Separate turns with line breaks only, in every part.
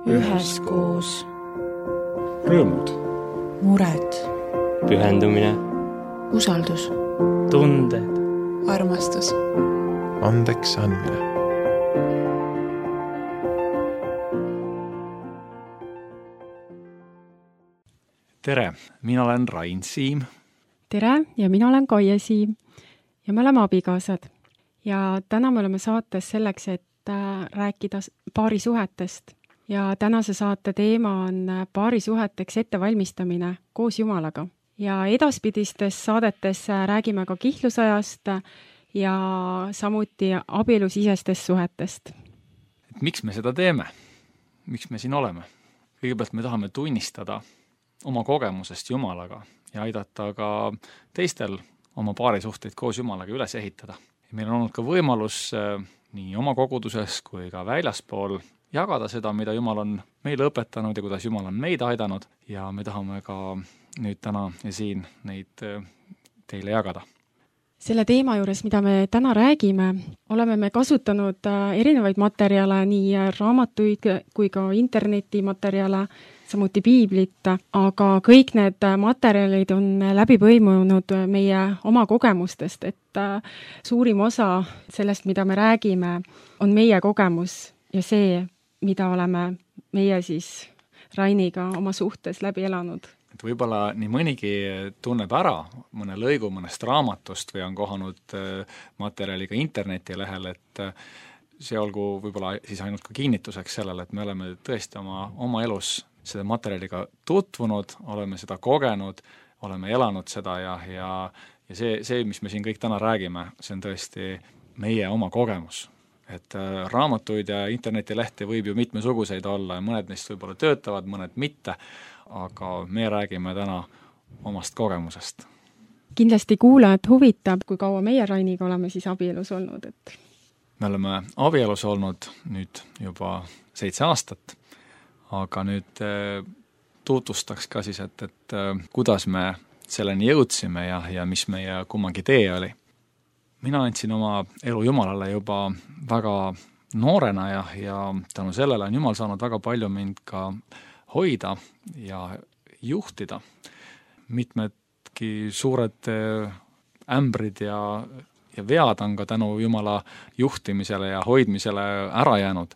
üheskoos.
Rõõmud,
mured,
pühendumine,
usaldus,
tunded,
armastus,
andeks andmine. Tere, mina olen Rain Siim.
Tere ja mina olen Kaie Siim ja me oleme abikaasad. Ja täna me oleme saates selleks, et rääkida paarisuhetest. Ja tänase saate teema on paarisuheteks ettevalmistamine koos Jumalaga. Ja edaspidistes saadetes räägime ka kihlusajast ja samuti abielusisestest suhetest.
Miks me seda teeme? Miks me siin oleme? Kõigepealt me tahame tunnistada oma kogemusest Jumalaga ja aidata ka teistel oma paarisuhteid koos Jumalaga üles ehitada. Ja meil on olnud ka võimalus nii oma koguduses kui ka väljaspool jagada seda, mida Jumal on meile õpetanud ja kuidas Jumal on meid aidanud ja me tahame ka nüüd täna ja siin neid teile jagada.
Selle teema juures, mida me täna räägime, oleme me kasutanud erinevaid materjale, nii raamatuid kui ka internetimaterjale, samuti piiblit, aga kõik need materjalid on läbi põimunud meie oma kogemustest, et suurim osa sellest, mida me räägime, on meie kogemus ja see, mida oleme meie siis Rainiga oma suhtes läbi elanud.
Et võib-olla nii mõnigi tunneb ära mõne lõigu mõnest raamatust või on kohanud materjaliga internetilehel, et see olgu võib-olla siis ainult ka kinnituseks sellele, et me oleme tõesti oma elus seda materjaliga tutvunud, oleme seda kogenud, oleme elanud seda ja see, mis me siin kõik täna räägime, see on tõesti meie oma kogemus. Et raamatuid ja internetilehti võib ju mitmesuguseid olla ja mõned neist võib-olla töötavad, mõned mitte, aga me räägime täna omast kogemusest.
Kindlasti kuulajad huvitab, kui kaua meie Rainiga oleme siis abielus olnud. Et...
Me oleme abielus olnud nüüd juba 7 aastat, aga nüüd tutvustaks ka siis, et kuidas me selleni jõudsime ja mis meie kummagi tee oli. Mina andsin oma elu Jumalale juba väga noorena ja tänu sellele on Jumal saanud väga palju mind ka hoida ja juhtida. Mitmedki suured ämbrid ja vead on ka tänu Jumala juhtimisele ja hoidmisele ära jäänud.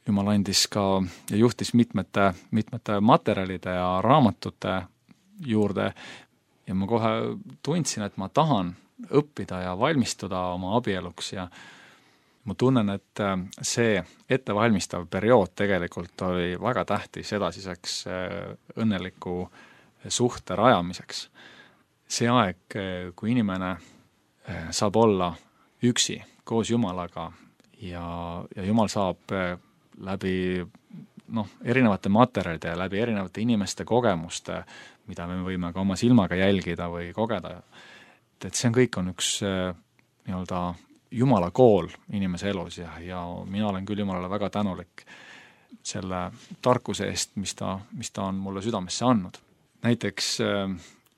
Jumal andis ka ja juhtis mitmete materjalide ja raamatute juurde ja ma kohe tundsin, et ma tahan õppida ja valmistuda oma abieluks ja ma tunnen, et see ettevalmistav periood tegelikult oli väga tähtis edasiseks õnneliku suhte rajamiseks. See aeg, kui inimene saab olla üksi koos Jumalaga ja Jumal saab läbi erinevate materjalide ja läbi erinevate inimeste kogemuste, mida me võime ka oma silmaga jälgida või kogeda, et see kõik on üks nii-öelda Jumala kool inimese elus ja mina olen küll Jumalale väga tänulik selle tarkuse eest, mis ta on mulle südamesse andnud. Näiteks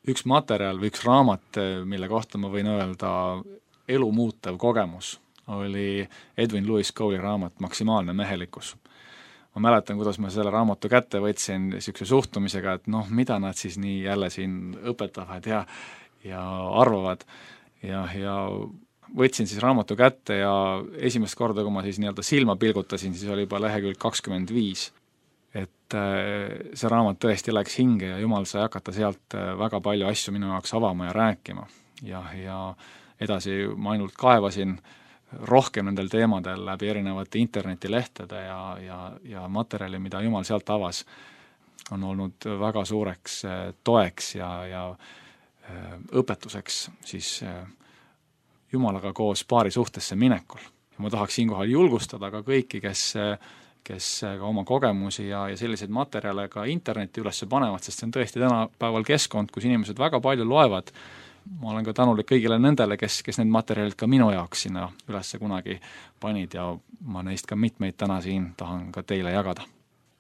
üks materjal või üks raamat, mille kohta ma võin öelda elu muutev kogemus, oli Edwin Lewis Cole'i raamat Maksimaalne mehelikkus. Ma mäletan, kuidas ma selle raamatu kätte võtsin niisuguse suhtumisega, et mida nad siis nii jälle siin õpetavad ja arvavad ja võtsin siis raamatu kätte ja esimest korda, kui ma siis nii-öelda silma pilgutasin, siis oli juba lehekülg 25. Et see raamat tõesti läks hinge ja Jumal sai hakata sealt väga palju asju minu jaoks avama ja rääkima. Ja edasi ma ainult kaevasin rohkem nendel teemadel läbi erinevate internetilehtede ja materjali, mida Jumal sealt avas, on olnud väga suureks toeks ja õpetuseks siis Jumalaga koos paari suhtesse minekul. Ja ma tahaks siinkohal julgustada ka kõiki, kes ka oma kogemusi ja selliseid materjale ka interneti üles panevad, sest see on tõesti tänapäeval keskkond, kus inimesed väga palju loevad. Ma olen ka tänulik kõigile nendele, kes need materjalid ka minu jaoks sinna üles kunagi panid ja ma neist ka mitmeid täna siin tahan ka teile jagada.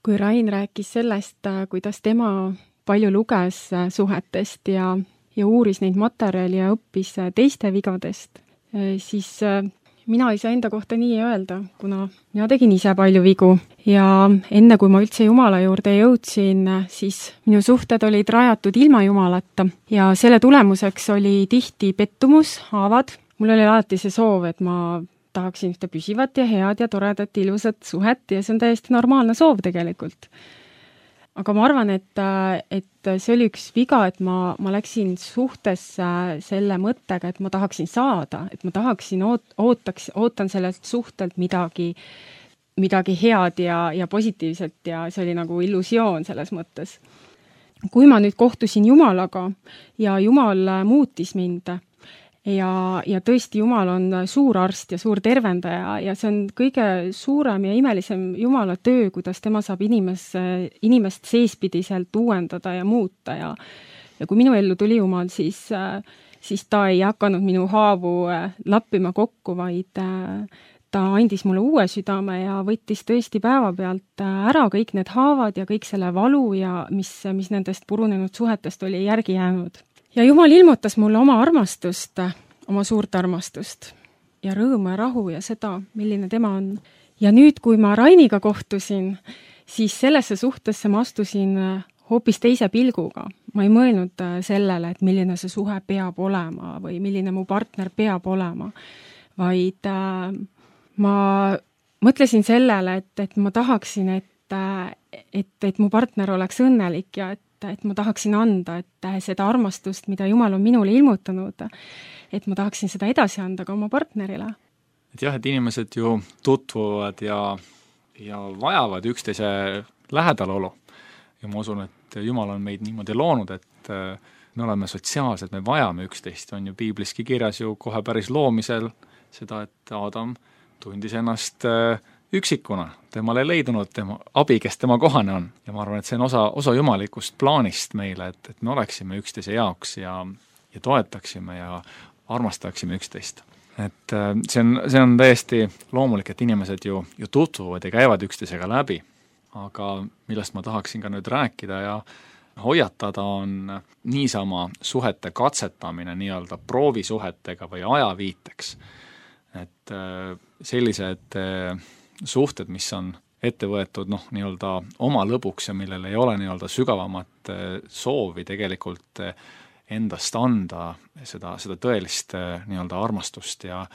Kui Rain rääkis sellest, kuidas tema palju luges suhetest ja uuris neid materjali ja õppis teiste vigadest, siis mina ei saa enda kohta nii öelda, kuna mina tegin ise palju vigu ja enne, kui ma üldse Jumala juurde jõudsin, siis minu suhted olid rajatud ilma Jumalata ja selle tulemuseks oli tihti pettumus, haavad. Mul oli alati see soov, et ma tahaksin ühte püsivat ja head ja toredat, ilusat suhet ja see on täiesti normaalne soov tegelikult. Aga ma arvan, et see oli üks viga, et ma läksin suhtesse selle mõttega, et ma tahaksin saada, et ma tahaksin, ootan sellelt suhtelt midagi head ja positiivset ja see oli nagu illusioon selles mõttes. Kui ma nüüd kohtusin Jumalaga ja Jumal muutis mind ja tõesti Jumal on suur arst ja suur tervendaja ja see on kõige suurem ja imelisem Jumala töö, kuidas tema saab inimest seespidiselt uuendada ja muuta ja kui minu ellu tuli Jumal, siis ta ei hakanud minu haavu lappima kokku, vaid ta andis mulle uue südame ja võttis tõesti päevapealt ära kõik need haavad ja kõik selle valu ja mis nendest purunenud suhetest oli järgi jäänud. Ja Jumal ilmutas mulle oma armastust, oma suurt armastust ja rõõmu ja rahu ja seda, milline tema on. Ja nüüd, kui ma Rainiga kohtusin, siis sellesse suhtesse ma astusin hoopis teise pilguga. Ma ei mõelnud sellele, et milline see suhe peab olema või milline mu partner peab olema, vaid ma mõtlesin sellele, et ma tahaksin, et mu partner oleks õnnelik ja et ma tahaksin anda, et seda armastust, mida Jumal on minule ilmutanud, et ma tahaksin seda edasi anda ka oma partnerile.
Et jah, et inimesed ju tutvuvad ja vajavad üksteise lähedalolu. Ja ma usun, et Jumal on meid niimoodi loonud, et me oleme sotsiaalsed, me vajame üksteist. On ju piibliski kirjas ju kohe päris loomisel seda, et Adam tundis ennast üksikuna, temal ei leidunud tema abi, kes tema kohane on. Ja ma arvan, et see on osa jumalikust plaanist meile, et me oleksime üksteise jaoks ja toetaksime ja armastaksime üksteist. Et see on täiesti loomulik, et inimesed ju tutvuvad ja käivad üksteisega läbi, aga millest ma tahaksin ka nüüd rääkida ja hoiatada on niisama suhete katsetamine nii-öelda proovisuhetega või ajaviiteks. Et sellised suhted, mis on ette võetud nii-öelda oma lõbuks ja millel ei ole nii-öelda sügavamat soovi tegelikult endast anda seda tõelist nii-öelda armastust ja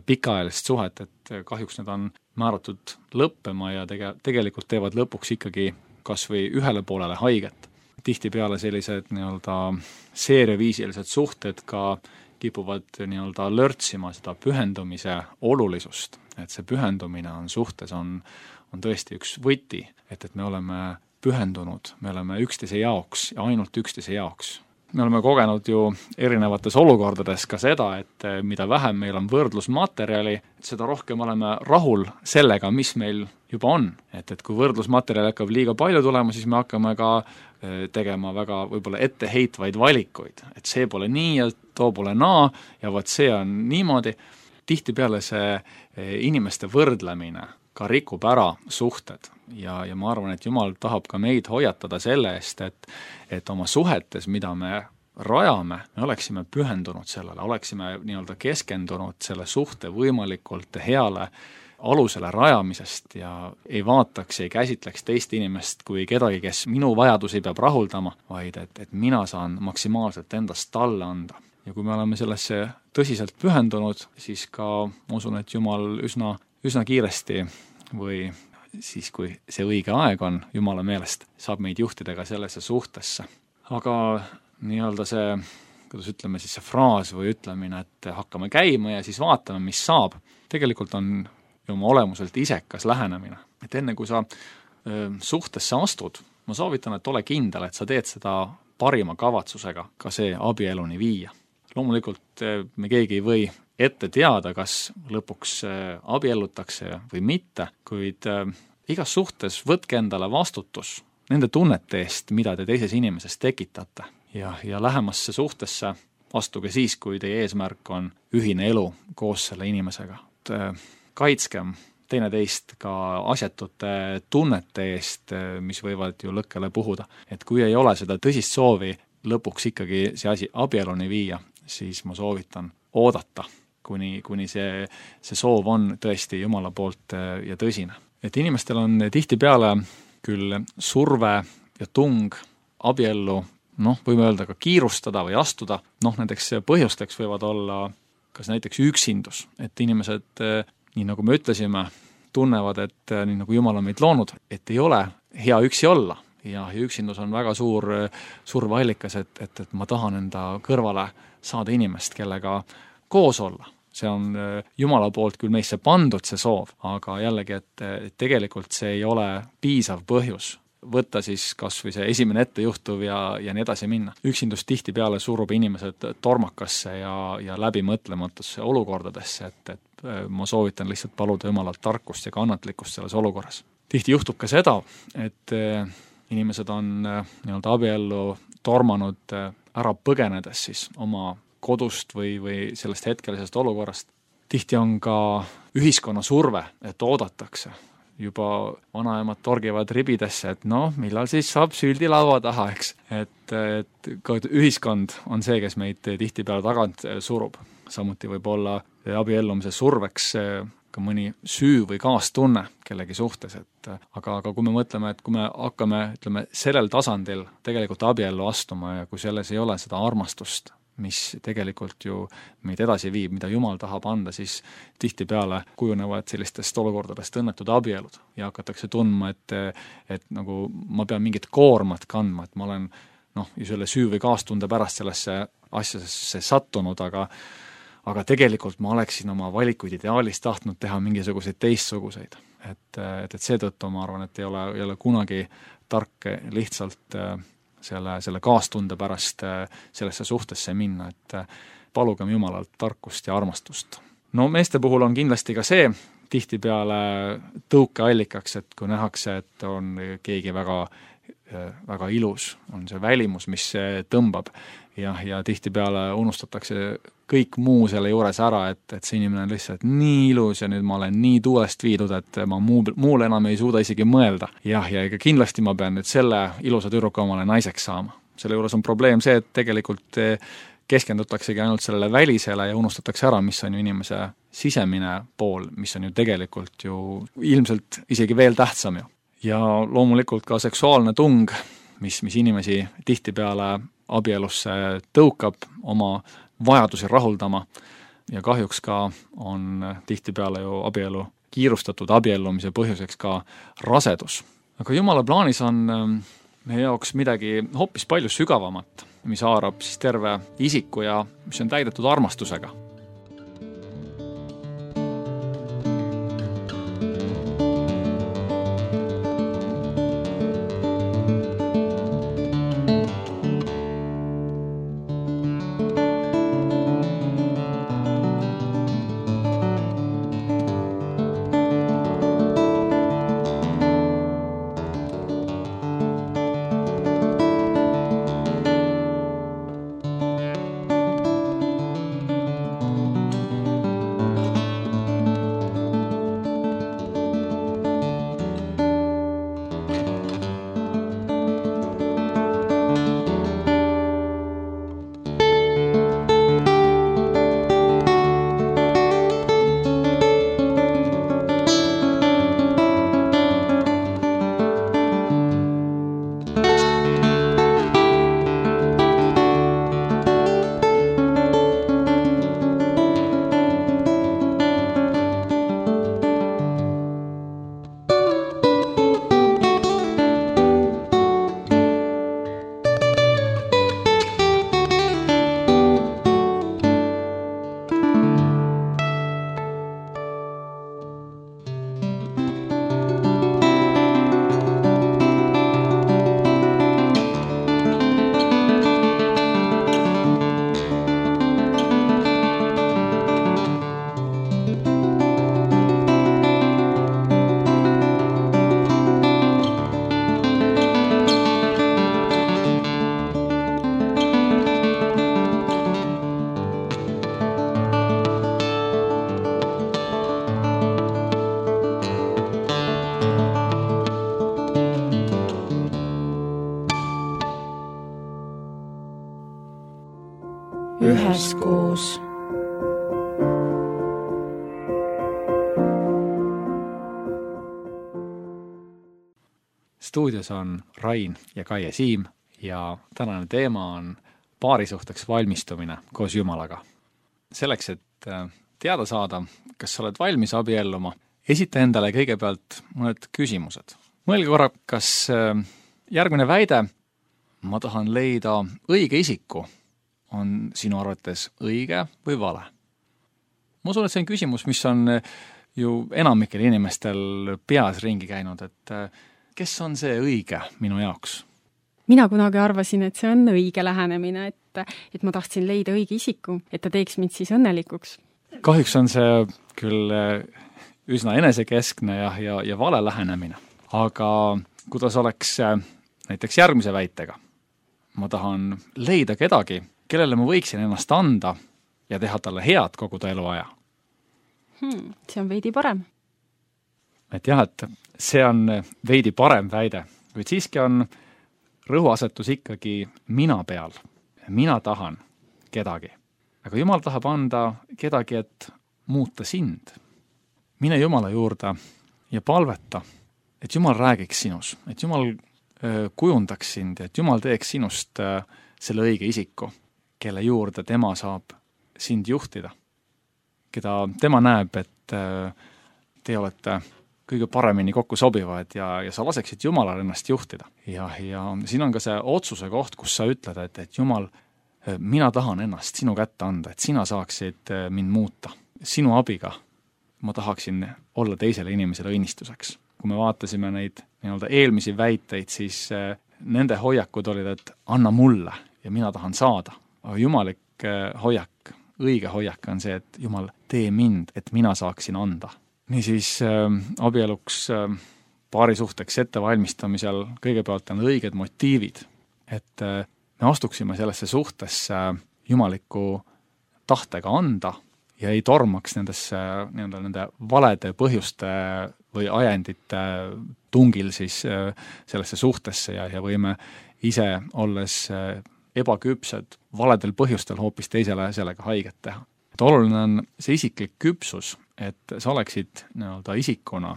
pikaajalist suhet, et kahjuks need on määratud lõppema ja tegelikult teevad lõpuks ikkagi kas või ühele poolele haiget. Tihtipeale sellised nii-öelda seeriaviisilised suhted ka kipuvad nii-öelda lörtsima seda pühendumise olulisust, et see pühendumine on suhtes, on tõesti üks võti, et me oleme pühendunud, me oleme üksteise jaoks ja ainult üksteise jaoks. Me oleme kogenud ju erinevates olukordades ka seda, et mida vähem meil on võrdlusmaterjali, seda rohkem oleme rahul sellega, mis meil juba on. Et kui võrdlusmaterjali hakkab liiga palju tulema, siis me hakkame ka tegema väga võib-olla etteheitvaid valikuid. Et see pole nii ja too pole naa ja vot see on niimoodi. Tihtipeale see inimeste võrdlemine ka rikub ära suhted ja ma arvan, et Jumal tahab ka meid hoiatada selle eest, et oma suhetes, mida me rajame, me oleksime pühendunud sellele, oleksime nii-öelda keskendunud selle suhte võimalikult heale alusele rajamisest ja ei vaataks, ei käsitleks teist inimest kui kedagi, kes minu vajadusi peab rahuldama, vaid et mina saan maksimaalselt endast talle anda. Ja kui me oleme sellesse tõsiselt pühendunud, siis ka ma usun, et Jumal üsna kiiresti või siis, kui see õige aeg on Jumala meelest, saab meid juhtida ka sellesse suhtesse. Aga nii-öelda see, kuidas ütleme siis see fraas või ütlemine, et hakkame käima ja siis vaatame, mis saab, tegelikult on oma olemuselt isekas lähenemine. Et enne kui sa suhtesse astud, ma soovitan, et ole kindel, et sa teed seda parima kavatsusega ka see abieluni viia. Loomulikult me keegi ei või ette teada, kas lõpuks abiellutakse või mitte, kuid igas suhtes võtke endale vastutus nende tunnete eest, mida te teises inimeses tekitate. Ja lähemasse suhtesse astuge siis, kui teie eesmärk on ühine elu koos selle inimesega. Kaitskem teineteist ka asjatute tunnete eest, mis võivad ju lõkkele puhuda. Et kui ei ole seda tõsist soovi lõpuks ikkagi see asi abieluni viia, siis ma soovitan oodata, kuni see soov on tõesti Jumala poolt ja tõsine. et inimestel on tihtipeale küll surve ja tung abiellu, võime öelda ka kiirustada või astuda, näiteks põhjusteks võivad olla kas näiteks üksindus, et inimesed, nii nagu me ütlesime, tunnevad, et nii nagu Jumal on meid loonud, et ei ole hea üksi olla ja üksindus on väga suur surveallikas, et ma tahan enda kõrvale saada inimest, kellega koos olla. See on Jumala poolt küll meisse pandud see soov, aga jällegi, et tegelikult see ei ole piisav põhjus võtta siis kas või see esimene ettejuhtuv ja nii edasi minna. Üksindus tihtipeale surub inimesed tormakasse ja läbimõtlematusse olukordadesse, et ma soovitan lihtsalt paluda Jumalalt tarkust ja kannatlikkust selles olukorras. Tihti juhtub ka seda, et inimesed on nii-öelda abiellu tormanud ära põgenedes siis oma kodust või sellest hetkelisest olukorrast. Tihti on ka ühiskonna surve, et oodatakse. Juba vanaemad torgivad ribidesse, et millal siis saab süldi laua taha, eks. Et ka ühiskond on see, kes meid tihtipeale tagant surub. Samuti võib olla abiellumise surveks ka mõni süü või kaastunne kellegi suhtes, aga kui me mõtleme, et kui me hakkame, sellel tasandil tegelikult abiellu astuma ja kui selles ei ole seda armastust, mis tegelikult ju meid edasi viib, mida Jumal tahab anda, siis tihtipeale kujunevad sellistest olukordadest õnnetud abielud ja hakatakse tundma, et nagu ma pean mingit koormat kandma, et ma olen ju selle süü või kaastunde pärast sellesse asjasse sattunud, aga tegelikult ma oleksin oma valikuid ideaalis tahtnud teha mingisuguseid teistsuguseid. Et seetõttu ma arvan, et ei ole kunagi tark lihtsalt selle kaastunde pärast sellesse suhtesse minna, et palugem Jumalalt tarkust ja armastust. Meeste puhul on kindlasti ka see tihtipeale tõukeallikaks, et kui nähakse, et on keegi väga, väga ilus, on see välimus, mis tõmbab ja tihtipeale unustatakse kõik muu selle juures ära, et see inimene on lihtsalt nii ilus ja nüüd ma olen nii tuulest viidud, et ma muule enam ei suuda isegi mõelda. Ja ega kindlasti ma pean nüüd selle ilusa tüdruku omale naiseks saama. Selle juures on probleem see, et tegelikult keskendutaksegi ainult sellele välisele ja unustatakse ära, mis on ju inimese sisemine pool, mis on ju tegelikult ju ilmselt isegi veel tähtsam ju. Ja loomulikult ka seksuaalne tung, mis inimesi tihtipeale abielusse tõukab oma vajadusi rahuldama ja kahjuks ka on tihtipeale ju abielu kiirustatud abiellumise põhjuseks ka rasedus. Aga Jumala plaanis on meie jaoks midagi hoopis palju sügavamat, mis haarab siis terve isiku ja mis on täidetud armastusega.
Üheskoos.
Stuudios on Rain ja Kaie Siim ja tänane teema on paarisuhteks valmistumine koos Jumalaga. Selleks, et teada saada, kas sa oled valmis abielluma, esita endale kõigepealt mõned küsimused. Mõelge korra, kas järgmine väide, ma tahan leida õige isiku, on sinu arvates õige või vale? Ma usun, et see on küsimus, mis on ju enamikel inimestel peas ringi käinud, et kes on see õige minu jaoks?
Mina kunagi arvasin, et see on õige lähenemine, et ma tahtsin leida õige isiku, et ta teeks mind siis õnnelikuks.
Kahjuks on see küll üsna enesekeskne ja vale lähenemine. Aga kuidas oleks näiteks järgmise väitega? Ma tahan leida kedagi, kellele ma võiksin ennast anda ja teha talle head kogu ta eluaja.
See on veidi parem.
Et jah, et see on veidi parem väide, kuid siiski on rõhuasetus ikkagi mina peal. Mina tahan kedagi. Aga Jumal tahab anda kedagi, et muuta sind. Mine Jumala juurde ja palveta, et Jumal räägiks sinus, et Jumal kujundaks sind ja et Jumal teeks sinust selle õige isiku, kelle juurde tema saab sind juhtida. Keda tema näeb, et te olete kõige paremini kokku sobivad ja sa laseksid Jumalal ennast juhtida. Ja siin on ka see otsuse koht, kus sa ütled, et Jumal, mina tahan ennast sinu kätte anda, et sina saaksid mind muuta. Sinu abiga ma tahaksin olla teisele inimesele õnnistuseks. Kui me vaatasime neid eelmisi väiteid, siis nende hoiakud olid, et anna mulle ja mina tahan saada. Aga jumalik hoiak, õige hoiak on see, et Jumal, tee mind, et mina saaksin anda. Niisiis abieluks paarisuhteks ettevalmistamisel kõigepealt on õiged motiivid, et me astuksime sellesse suhtesse jumaliku tahtega anda ja ei tormaks nende valede põhjuste või ajendite tungil siis sellesse suhtesse ja võime ise olles ebaküpsed valedel põhjustel hoopis teisele sellega haiget teha. Et oluline on see isiklik küpsus, et sa oleksid isikuna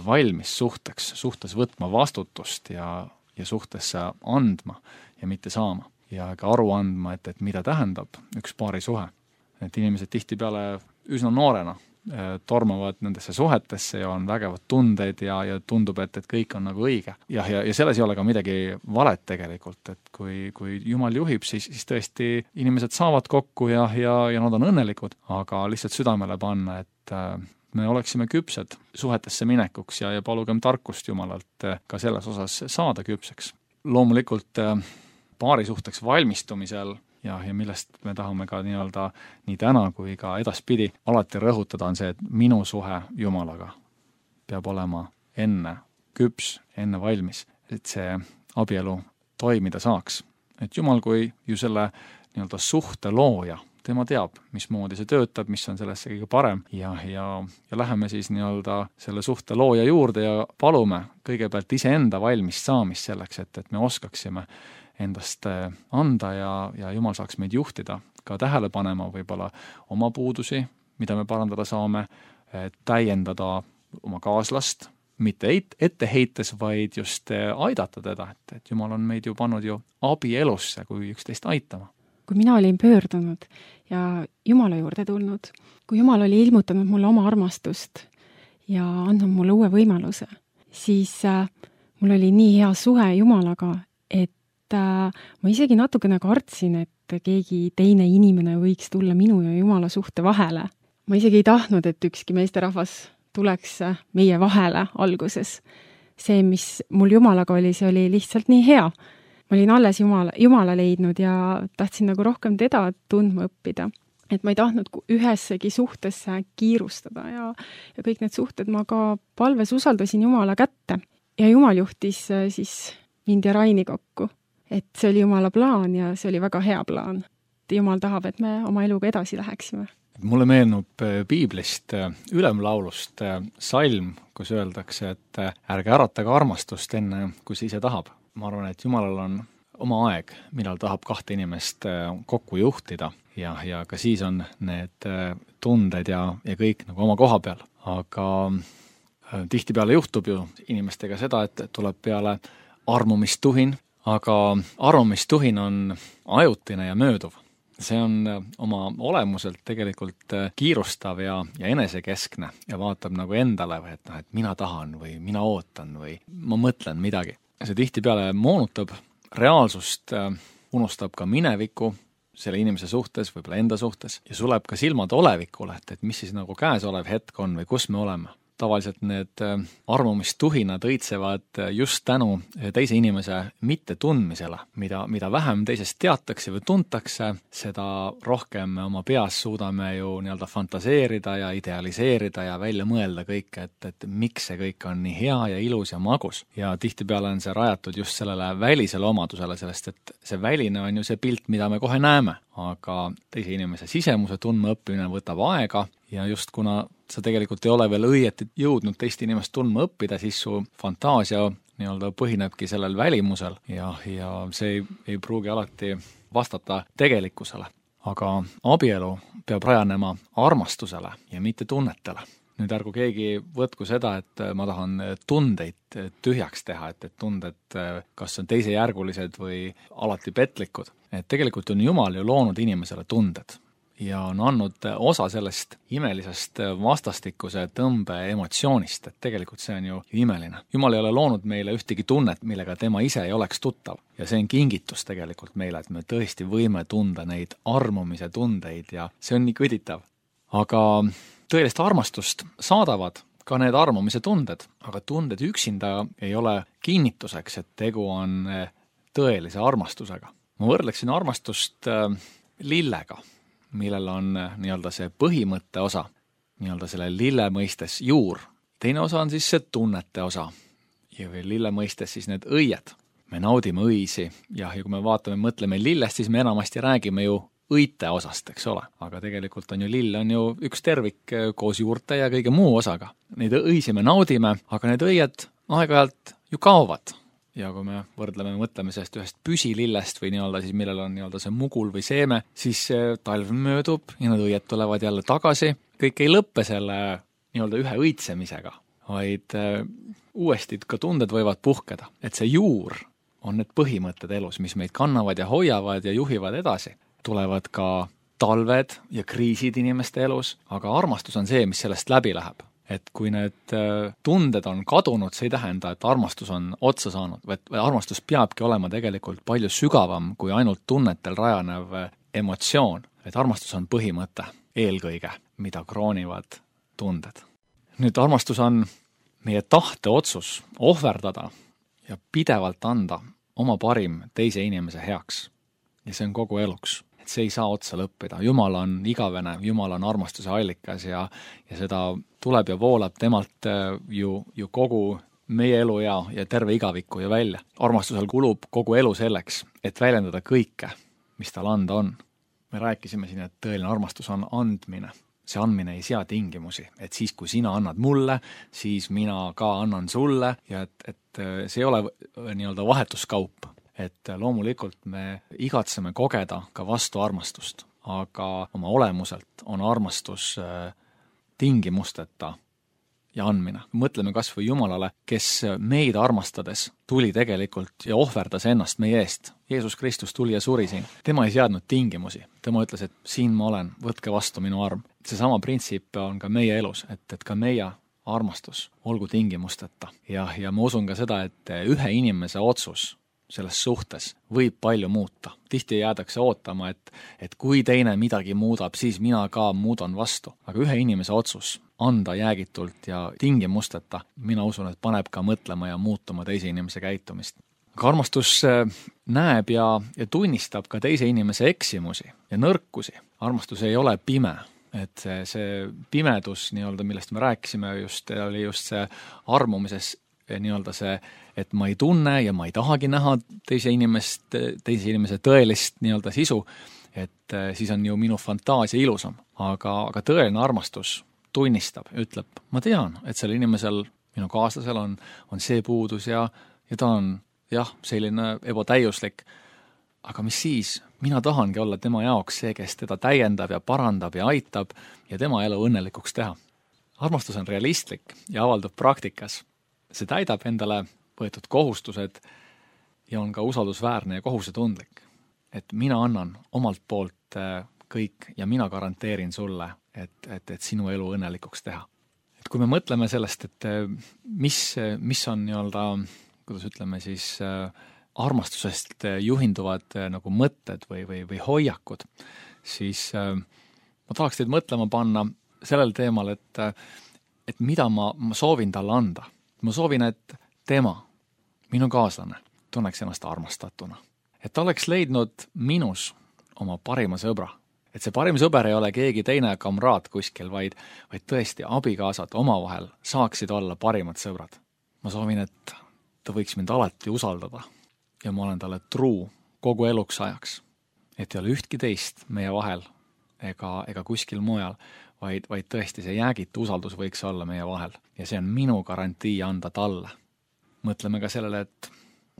valmis suhtes võtma vastutust ja suhtesse andma ja mitte saama. Ja ka aru andma, et mida tähendab üks paarisuhe. Et inimesed tihtipeale üsna noorena tormavad nendesse suhetesse ja on vägevad tundeid ja tundub, et kõik on nagu õige. Ja selles ei ole ka midagi valet tegelikult, et kui Jumal juhib, siis tõesti inimesed saavad kokku ja nad on õnnelikud, aga lihtsalt südamele panna, et me oleksime küpsed suhetesse minekuks ja palugem tarkust Jumalalt ka selles osas saada küpseks. Loomulikult paarisuhteks valmistumisel ja millest me tahame ka nii täna kui ka edaspidi alati rõhutada on see, et minu suhe Jumalaga peab olema enne küps, enne valmis, et see abielu toimida saaks. Et Jumal kui ju selle suhte looja, tema teab, mismoodi see töötab, mis on sellesse kõige parem ja läheme siis selle suhte looja juurde ja palume kõigepealt iseenda valmis saamist selleks, et me oskaksime endast anda ja Jumal saaks meid juhtida, ka tähele panema võib-olla oma puudusi, mida me parandada saame, täiendada oma kaaslast, mitte ette heites, vaid just aidata teda, et Jumal on meid ju pannud ju abielusse, kui üksteist aitama.
Kui mina olin pöördunud ja Jumala juurde tulnud, kui Jumal oli ilmutanud mulle oma armastust ja andnud mulle uue võimaluse, siis mul oli nii hea suhe Jumalaga, et ma isegi natukene kartsin, et keegi teine inimene võiks tulla minu ja Jumala suhte vahele. Ma isegi ei tahtnud, et ükski meesterahvas tuleks meie vahele alguses. See, mis mul Jumalaga oli, see oli lihtsalt nii hea. Ma olin alles Jumala leidnud ja tahtsin nagu rohkem teda tundma õppida. Et ma ei tahtnud ühessegi suhtesse kiirustada ja kõik need suhted ma ka palves usaldasin Jumala kätte. Ja Jumal juhtis siis mind ja Raini kokku. Et see oli Jumala plaan ja see oli väga hea plaan. Jumal tahab, et me oma eluga edasi läheksime.
Mulle meenub piiblist ülemlaulust salm, kus öeldakse, et ärge äratage armastust enne, kui see ise tahab. Ma arvan, et Jumalal on oma aeg, millal tahab kahte inimest kokku juhtida ja ka siis on need tunded ja kõik nagu oma koha peal. Aga Tihtipeale juhtub ju inimestega seda, et tuleb peale armumistuhin, aga armumistuhin on ajutine ja mööduv. See on oma olemuselt tegelikult kiirustav ja enesekeskne ja vaatab nagu endale, et mina tahan või mina ootan või ma mõtlen midagi. See tihtipeale moonutab reaalsust, unustab ka mineviku selle inimese suhtes, võib-olla enda suhtes ja suleb ka silmad olevikule, et mis siis nagu käesolev hetk on või kus me oleme. Tavaliselt need armumistuhinad õitsevad just tänu teise inimese mittetundmisele, mida vähem teisest teatakse või tuntakse, seda rohkem me oma peas suudame ju nii-öelda fantaseerida ja idealiseerida ja välja mõelda kõike, et miks see kõik on nii hea ja ilus ja magus. Ja tihtipeale on see rajatud just sellele välisele omadusele, sellest et see väline on ju see pilt, mida me kohe näeme, aga teise inimese sisemuse tundmaõppimine võtab aega ja just kuna sa tegelikult ei ole veel õieti jõudnud teist inimest tundma õppida, siis su fantaasia nii-öelda põhinebki sellel välimusel ja see ei pruugi alati vastata tegelikkusele. Aga abielu peab rajanema armastusele ja mitte tunnetele. Nüüd ärgu keegi võtku seda, et ma tahan tundeid tühjaks teha, et tunded kas on teisejärgulised või alati petlikud. Et tegelikult on Jumal ju loonud inimesele tunded ja on andnud osa sellest imelisest vastastikuse tõmbe emotsioonist, et tegelikult see on ju imeline. Jumal ei ole loonud meile ühtegi tunnet, millega tema ise ei oleks tuttav. Ja see on kingitus tegelikult meile, et me tõesti võime tunda neid armumise tundeid ja see on nii kõditav. Aga tõelist armastust saadavad ka need armumise tunded, aga tunded üksinda ei ole kinnituseks, et tegu on tõelise armastusega. Ma võrdleksin armastust lillega, millel on nii-öelda see põhimõtte osa, nii-öelda selle lille mõistes juur. Teine osa on siis see tunnete osa ja või lille mõistes siis need õied. Me naudime õisi ja kui me vaatame, mõtleme lillest, siis me enamasti räägime ju õite osast, eks ole. Aga tegelikult on ju lill on ju üks tervik koos juurte ja kõige muu osaga. Neid õisi me naudime, aga need õied aeg-ajalt ju kaovad. Ja kui me võrdleme, mõtleme sellest ühest püsilillest või nii-öelda siis millel on nii-öelda see mugul või seeme, siis talv möödub ja need õied tulevad jälle tagasi. Kõik ei lõppe selle nii-öelda ühe õitsemisega, vaid uuesti ka tunded võivad puhkeda. Et see juur on need põhimõtted elus, mis meid kannavad ja hoiavad ja juhivad edasi. Tulevad ka talved ja kriisid inimeste elus, aga armastus on see, mis sellest läbi läheb. Et kui need tunded on kadunud, see ei tähenda, et armastus on otsa saanud, või armastus peabki olema tegelikult palju sügavam kui ainult tunnetel rajanev emotsioon. Et armastus on põhimõte eelkõige, mida kroonivad tunded. Nüüd armastus on meie tahte otsus ohverdada ja pidevalt anda oma parim teise inimese heaks. Ja see on kogu eluks. Et see ei saa otsa lõppida. Jumal on igavene, Jumal on armastuse allikas ja seda tuleb ja voolab temalt ju kogu meie elu ja terve igaviku ja välja. Armastusel kulub kogu elu selleks, et väljendada kõike, mis tal anda on. Me rääkisime siin, et tõeline armastus on andmine. See andmine ei sea tingimusi, et siis kui sina annad mulle, siis mina ka annan sulle ja et see ei ole nii-öelda vahetuskaup. Et loomulikult me igatseme kogeda ka vastu armastust, aga oma olemuselt on armastus tingimusteta ja andmine. Mõtleme kas või Jumalale, kes meid armastades tuli tegelikult ja ohverdas ennast meie eest. Jeesus Kristus tuli ja suri siin. Tema ei seadnud tingimusi. Tema ütles, et siin ma olen, võtke vastu minu arm. Seesama printsiip on ka meie elus, et ka meie armastus olgu tingimusteta. Ja ma usun ka seda, et ühe inimese otsus selles suhtes võib palju muuta. Tihti jäädakse ootama, et kui teine midagi muudab, siis mina ka muudan vastu. Aga ühe inimese otsus anda jäägitult ja tingimusteta, mina usun, et paneb ka mõtlema ja muutuma teise inimese käitumist. Aga armastus näeb ja tunnistab ka teise inimese eksimusi ja nõrkusi. Armastus ei ole pime. Et see pimedus, nii-öelda, millest me rääkisime, oli just see armumises nii-öelda see, et ma ei tunne ja ma ei tahagi näha teise inimese tõelist nii-öelda sisu, et siis on ju minu fantaasia ilusam. Aga tõeline armastus tunnistab, ütleb, ma tean, et sellel inimesel, minu kaaslasel on see puudus ja ta on selline ebatäiuslik. Aga mis siis? Mina tahangi olla tema jaoks see, kes teda täiendab ja parandab ja aitab ja tema elu õnnelikuks teha. armastus on realistlik ja avaldub praktikas. See täidab endale võetud kohustused ja on ka usaldusväärne ja kohusetundlik. Et mina annan omalt poolt kõik ja mina garanteerin sulle, et sinu elu õnnelikuks teha. Et kui me mõtleme sellest, et mis on nii-öelda, kuidas ütleme siis, armastusest juhinduvad nagu mõtted või hoiakud, siis ma tahaks teid mõtlema panna sellel teemal, et mida ma soovin talle anda. Ma soovin, et tema, minu kaaslane, tunneks ennast armastatuna. Et ta oleks leidnud minus oma parima sõbra. Et see parim sõber ei ole keegi teine kamraad kuskil, vaid tõesti abikaasad omavahel saaksid olla parimad sõbrad. Ma soovin, et ta võiks mind alati usaldada ja ma olen talle truu kogu eluks ajaks. Et ei ole ühtki teist meie vahel ega kuskil mujal, vaid tõesti see jäägitu usaldus võiks olla meie vahel. Ja see on minu garantii anda talle. Mõtleme ka sellele, et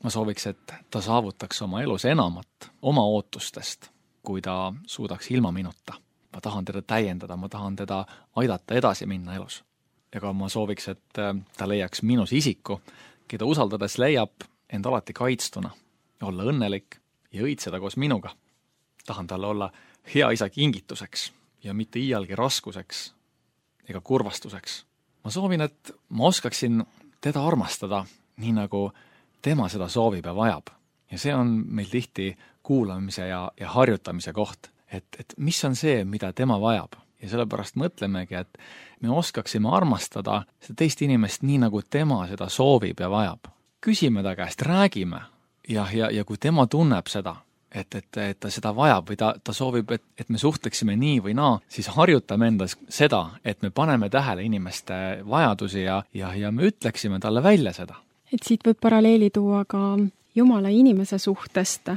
ma sooviks, et ta saavutaks oma elus enamat oma ootustest, kui ta suudaks ilma minuta. Ma tahan teda täiendada, ma tahan teda aidata edasi minna elus. Ega ma sooviks, et ta leiaks minus isiku, keda usaldades leiab end alati kaitstuna, olla õnnelik ja õitseda koos minuga. Tahan talle olla hea isa kingituseks ja mitte iialgi raskuseks ega kurvastuseks. Ma soovin, et ma oskaksin teda armastada nii nagu tema seda soovib ja vajab. Ja see on meil tihti kuulamise ja harjutamise koht, et mis on see, mida tema vajab. Ja sellepärast mõtlemegi, et me oskaksime armastada seda teist inimest nii nagu tema seda soovib ja vajab. Küsime ta käest, räägime ja kui tema tunneb seda, et ta seda vajab või ta soovib, et me suhtleksime nii või naa, siis harjutame endas seda, et me paneme tähele inimeste vajadusi ja me ütleksime talle välja seda.
Et siit võib paralleeli tuua ka Jumala inimese suhtest,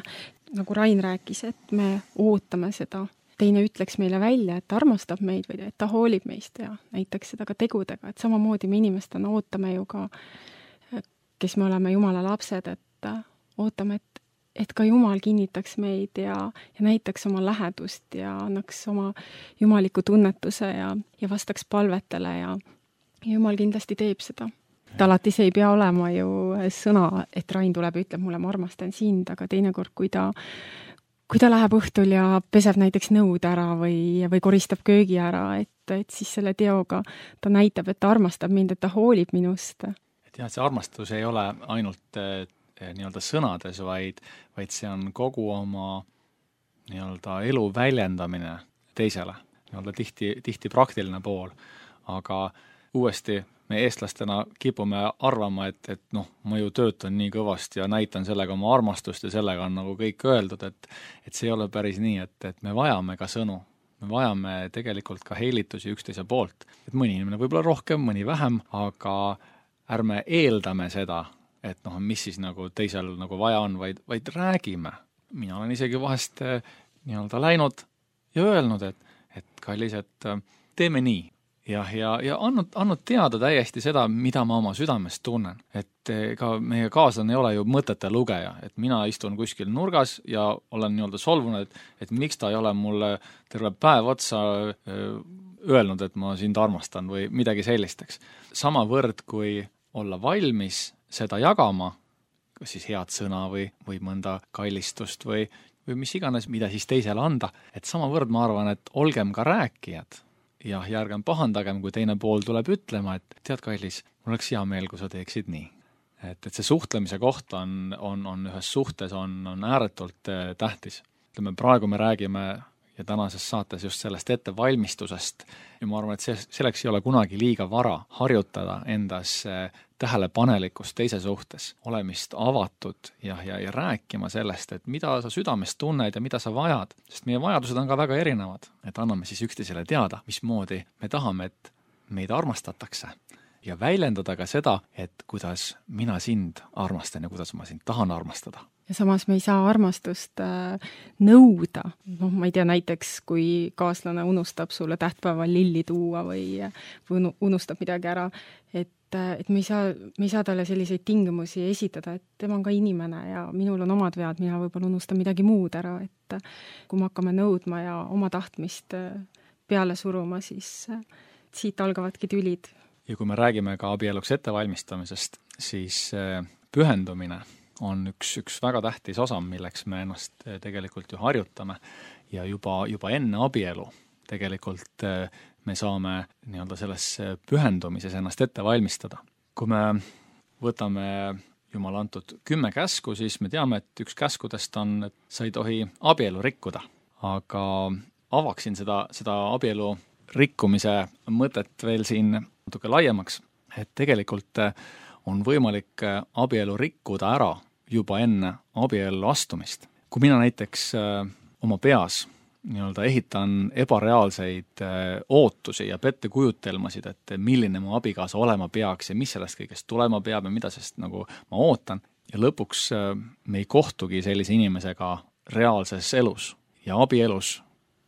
nagu Rain rääkis, et me ootame seda. Teine ütleks meile välja, et ta armastab meid või et ta hoolib meist ja näiteks seda ka tegudega, et samamoodi me inimestena ootame ju ka, kes me oleme Jumala lapsed, et ootame, et ka Jumal kinnitaks meid ja näitaks oma lähedust ja annaks oma jumaliku tunnetuse ja vastaks palvetele ja Jumal kindlasti teeb seda. Et alati see ei pea olema ju sõna, et Rain tuleb ja ütleb mulle, ma armastan sind, aga teinekord, kui ta läheb õhtul ja peseb näiteks nõud ära või koristab köögi ära, et siis selle teoga ta näitab, et ta armastab mind, et ta hoolib minust.
Et jah, see armastus ei ole ainult nii-öelda sõnades, vaid see on kogu oma nii-öelda elu väljendamine teisele. Nii-öelda tihti praktiline pool, aga uuesti me eestlastena kipume arvama, et ma ju töötan nii kõvasti ja näitan sellega oma armastust ja sellega on nagu kõik öeldud, et see ei ole päris nii, et me vajame ka sõnu. Me vajame tegelikult ka heilitusi üksteise poolt. Et mõni inimene võib-olla rohkem, mõni vähem, aga ärme eeldame seda, et mis siis nagu teisel nagu vaja on, vaid räägime. Mina olen isegi vahest nii-öelda läinud ja öelnud, et kallis, et teeme nii. Ja andnud teada täiesti seda, mida ma oma südamest tunnen. Et ka meie kaaslane ei ole ju mõtete lugeja, et mina istun kuskil nurgas ja olen nii-öelda solvunud, et miks ta ei ole mulle terve päev otsa öelnud, et ma sind armastan või midagi sellisteks. Samavõrd, kui olla valmis seda jagama, kas siis head sõna või mõnda kallistust või mis iganes, mida siis teisele anda, et samavõrd ma arvan, et olgem ka rääkijad. Ja ärgem pahandagem, kui teine pool tuleb ütlema, et tead, kallis, mul oleks hea meel, kui sa teeksid nii. Et see suhtlemise koht on ühes suhtes on ääretult tähtis. Ütleme, praegu me räägime ja tänases saates just sellest ettevalmistusest ja ma arvan, et selleks ei ole kunagi liiga vara harjutada endas tähelepanelikkust teise suhtes, olemist avatud ja rääkima sellest, et mida sa südamest tunned ja mida sa vajad, sest meie vajadused on ka väga erinevad, et anname siis üksteisele teada, mismoodi me tahame, et meid armastatakse ja väljendada ka seda, et kuidas mina sind armastan ja kuidas ma sind tahan armastada.
Ja samas me ei saa armastust nõuda. Ma ei tea, näiteks kui kaaslane unustab sulle tähtpäeval lilli tuua või unustab midagi ära, et me ei saa talle selliseid tingimusi esitada, et tema on ka inimene ja minul on omad vead, mina võib-olla unustan midagi muud ära, et kui me hakkame nõudma ja oma tahtmist peale suruma, siis siit algavadki tülid.
Ja kui me räägime ka abieluks ettevalmistamisest, siis pühendumine on üks väga tähtis osa, milleks me ennast tegelikult ju harjutame ja juba enne abielu tegelikult me saame nii-öelda selles pühendumises ennast ette valmistada. Kui me võtame Jumala antud 10 käsku, siis me teame, et üks käskudest on, et sa ei tohi abielu rikkuda. Aga avaksin seda abielu rikkumise mõtet veel siin natuke laiemaks, et tegelikult on võimalik abielu rikkuda ära juba enne abiellu astumist. Kui mina näiteks oma peas nii-öelda ehitan ebareaalseid ootusi ja pettekujutelmasid, et milline mu abikaasa olema peaks ja mis sellest kõigest tulema peab ja mida sellest nagu ma ootan. Ja lõpuks me ei kohtugi sellise inimesega reaalses elus ja abielus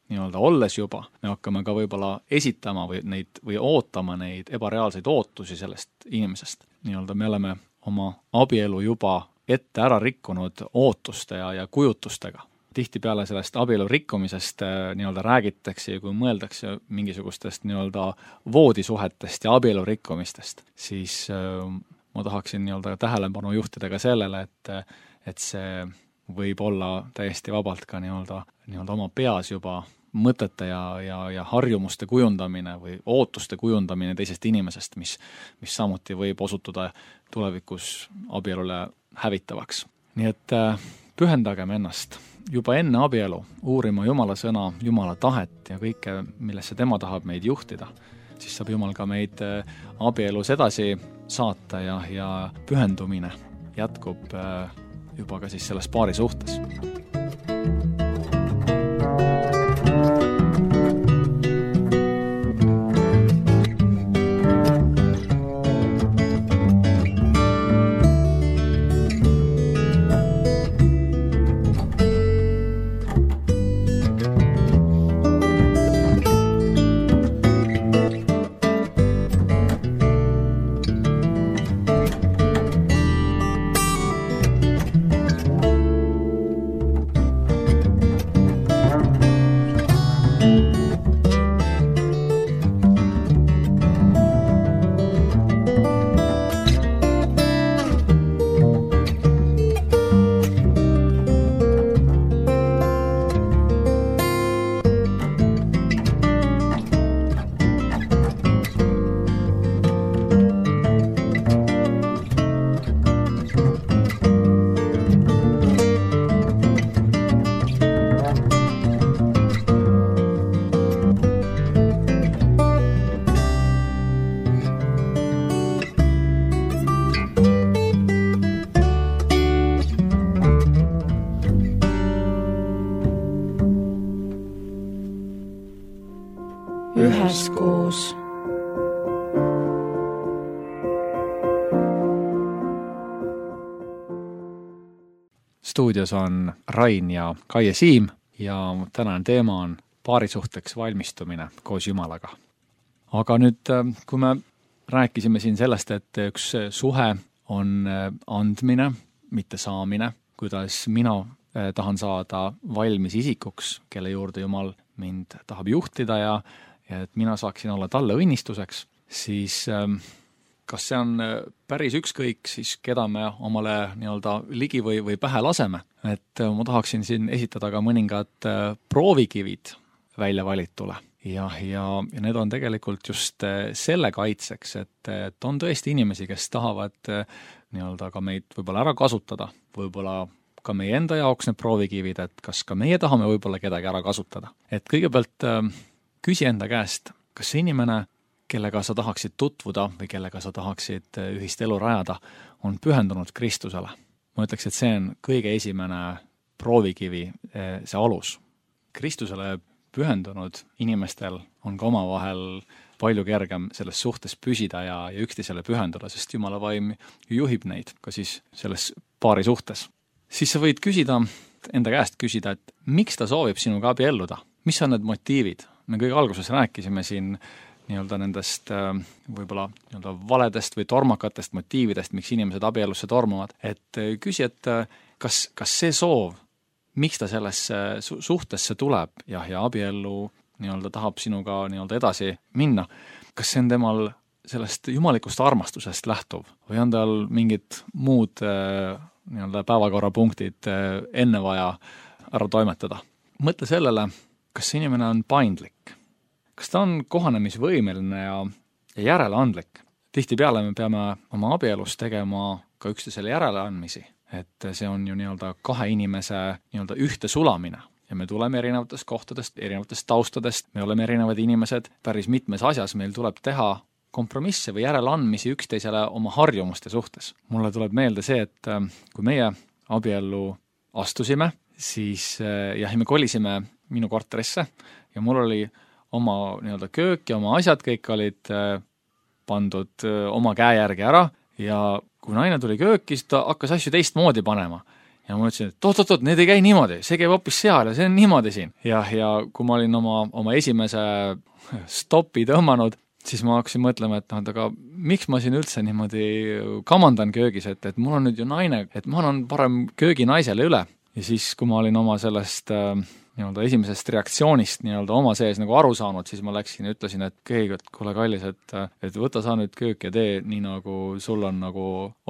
nii-öelda olles juba, me hakkame ka võib-olla esitama või ootama neid ebareaalseid ootusi sellest inimesest. Nii-öelda me oleme oma abielu juba ette ära rikkunud ootuste ja kujutustega. Tihtipeale sellest abielu rikkumisest nii-öelda räägitakse ja kui mõeldakse mingisugustest nii-öelda voodisuhetest ja abielu rikkumistest, siis ma tahaksin nii-öelda tähelepanu juhtida ka sellele, et see võib olla täiesti vabalt ka nii-öelda oma peas juba mõtete ja harjumuste kujundamine või ootuste kujundamine teisest inimesest, mis samuti võib osutuda tulevikus abielule hävitavaks. Nii et pühendagem ennast juba enne abielu uurima Jumala sõna, Jumala tahet ja kõike, millesse tema tahab meid juhtida, siis saab Jumal ka meid abielus edasi saata ja pühendumine jätkub juba ka siis selles paari suhtes.
Üheskoos.
Stuudios on Rain ja Kaie Siim ja tänane teema on paarisuhteks valmistumine koos Jumalaga. Aga nüüd, kui me rääkisime siin sellest, et üks suhe on andmine, mitte saamine, kuidas mina tahan saada valmis isikuks, kelle juurde Jumal mind tahab juhtida ja et mina saaksin olla talle õnnistuseks, siis kas see on päris ükskõik siis, keda me omale nii-öelda ligi või pähe laseme? Et ma tahaksin siin esitada ka mõningad proovikivid välja valitule. Ja need on tegelikult just selle kaitseks, et on tõesti inimesi, kes tahavad nii-öelda ka meid võib-olla ära kasutada, võib-olla ka meie enda jaoks need proovikivid, et kas ka meie tahame võib-olla kedagi ära kasutada. Et kõigepealt küsi enda käest, kas see inimene, kellega sa tahaksid tutvuda või kellega sa tahaksid ühist elu rajada, on pühendunud Kristusele. Ma ütleks, et see on kõige esimene proovikivi, see alus. Kristusele pühendunud inimestel on ka omavahel palju kergem selles suhtes püsida ja üksteisele pühenduda, sest Jumala vaim juhib neid ka siis selles paari suhtes. Siis sa võid enda käest küsida, et miks ta soovib sinuga abielluda? Mis on need motiivid? Me kõige alguses rääkisime siin nii-öelda nendest võib-olla nii-öelda valedest või tormakatest motiividest, miks inimesed abielusse tormavad. Et küsi, et kas see soov, miks ta sellesse suhtesse tuleb ja abiellu nii-öelda tahab sinuga nii-öelda edasi minna, kas see on temal sellest jumalikust armastusest lähtuv või on tal mingid muud nii-öelda päevakorrapunktid enne vaja ära toimetada? Mõtle sellele, kas see inimene on paindlik, kas ta on kohanemisvõimeline ja järeleandlik. Tihtipeale me peame oma abielus tegema ka üksteisele järeleandmisi, et see on ju nii-öelda kahe inimese nii-öelda ühte sulamine ja me tuleme erinevatest kohtadest, erinevatest taustadest, me oleme erinevad inimesed, päris mitmes asjas meil tuleb teha kompromisse või järeleandmisi üksteisele oma harjumuste suhtes. Mulle tuleb meelde see, et kui meie abiellu astusime, siis me kolisime minu korterisse ja mul oli oma nii-öelda köök ja oma asjad kõik olid pandud oma käe järgi ära ja kui naine tuli kööki, siis ta hakkas asju teistmoodi panema. Ja ma ütlesin, et oot, need ei käi niimoodi, see käib hoopis seal ja see on niimoodi siin. Ja kui ma olin oma esimese stopi tõmmanud, siis ma hakkasin mõtlema, et aga miks ma siin üldse niimoodi kamandan köögis, et mul on nüüd ju naine, et ma annan parem köögi naisele üle. Ja siis, kui ma olin oma sellest nii-öelda esimesest reaktsioonist nii-öelda oma sees nagu aru saanud, siis ma läksin ja ütlesin, et keegi, kuule kallis, et võta sa nüüd köök ja tee nii nagu sul on nagu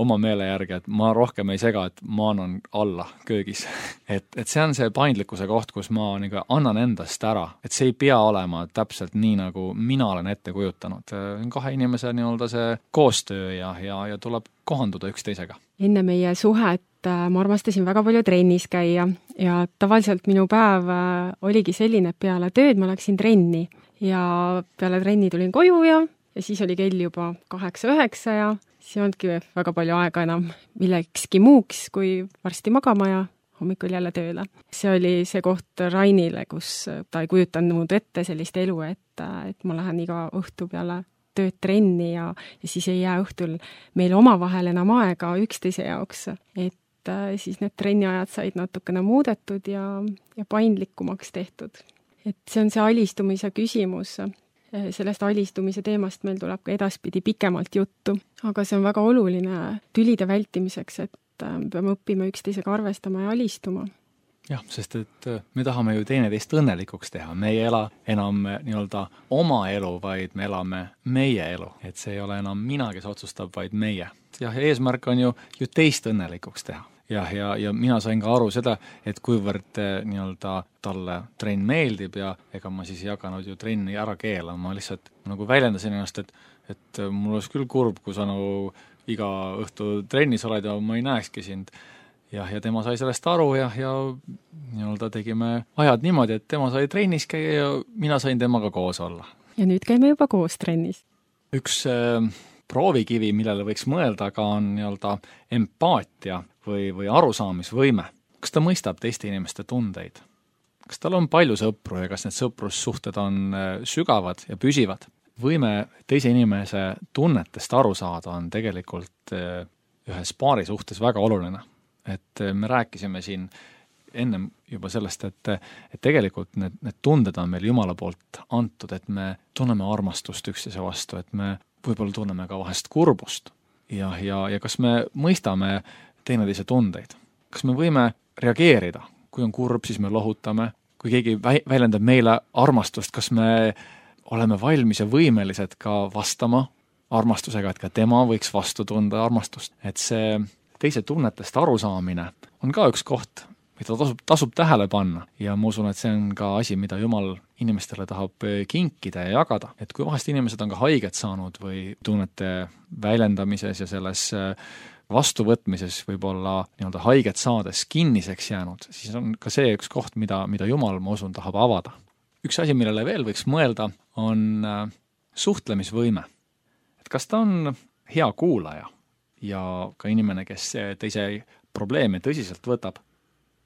oma meele järgi, et ma rohkem ei sega, et ma annan alla köögis. et see on see paindlikkuse koht, kus ma nagu annan endast ära, et see ei pea olema täpselt nii, nagu mina olen ette kujutanud. Kahe inimese nii-öelda see koostöö ja tuleb kohanduda üksteisega.
Enne meie suhet ma armastasin väga palju trennis käia ja tavaliselt minu päev oligi selline, et peale tööd ma läksin trenni ja peale trenni tulin koju ja siis oli kell juba 8-9 ja siis ei olnudki väga palju aega enam millekski muuks, kui varsti magama ja hommikul jälle tööle. See oli see koht Rainile, kus ta ei kujutanud ette sellist elu, et ma lähen iga õhtu peale tööd trenni ja siis ei jää õhtul meil omavahel enam aega üksteise jaoks, et siis need trenniajad said natukene muudetud ja paindlikumaks tehtud. Et see on see alistumise küsimus. Sellest alistumise teemast meil tuleb ka edaspidi pikemalt juttu, aga see on väga oluline tülide vältimiseks, et peame õppima üksteisega arvestama ja alistuma.
Jah, sest et me tahame ju teineteist õnnelikuks teha. Me ei ela enam nii-öelda oma elu, vaid me elame meie elu. Et see ei ole enam mina, kes otsustab, vaid meie. Ja eesmärk on ju teist õnnelikuks teha. Ja mina sain ka aru seda, et kuivõrd nii-öelda talle trenn meeldib ja ega ma siis ei hakanud ju trenni ära keelama. Ma lihtsalt nagu väljendasin ennast, et mul oleks küll kurb, kui sa nagu iga õhtu trennis oled ja ma ei näekski sind. Ja tema sai sellest aru ja nii-öelda tegime ajad niimoodi, et tema sai trennis käia ja mina sain temaga koos olla.
Ja nüüd käime juba koos trennis.
Üks proovikivi, millele võiks mõelda, ka on nii-öelda empaatia või arusaamisvõime. Kas ta mõistab teiste inimeste tundeid? Kas tal on palju sõpru ja kas need sõprussuhted on sügavad ja püsivad? Võime teise inimese tunnetest aru saada on tegelikult ühes paari suhtes väga oluline. Et me rääkisime siin ennem juba sellest, et tegelikult need tunded on meil Jumala poolt antud, et me tunneme armastust üksteise vastu, et me võib-olla tunneme ka vahest kurbust ja kas me mõistame teineteise tundeid. Kas me võime reageerida? Kui on kurb, siis me lohutame. Kui keegi väljendab meile armastust, kas me oleme valmis ja võimelised ka vastama armastusega, et ka tema võiks vastu tunda armastust. Et see teise tunnetest arusaamine on ka üks koht, mida tasub tähele panna ja ma usun, et see on ka asi, mida Jumal inimestele tahab kinkida ja jagada. Et kui vahest inimesed on ka haiget saanud või tunnete väljendamises ja selles vastuvõtmises võib-olla nii-öelda haiget saades kinniseks jäänud, siis on ka see üks koht, mida Jumal, ma usun, tahab avada. Üks asi, millele veel võiks mõelda, on suhtlemisvõime. Et kas ta on hea kuulaja ja ka inimene, kes teise probleeme tõsiselt võtab,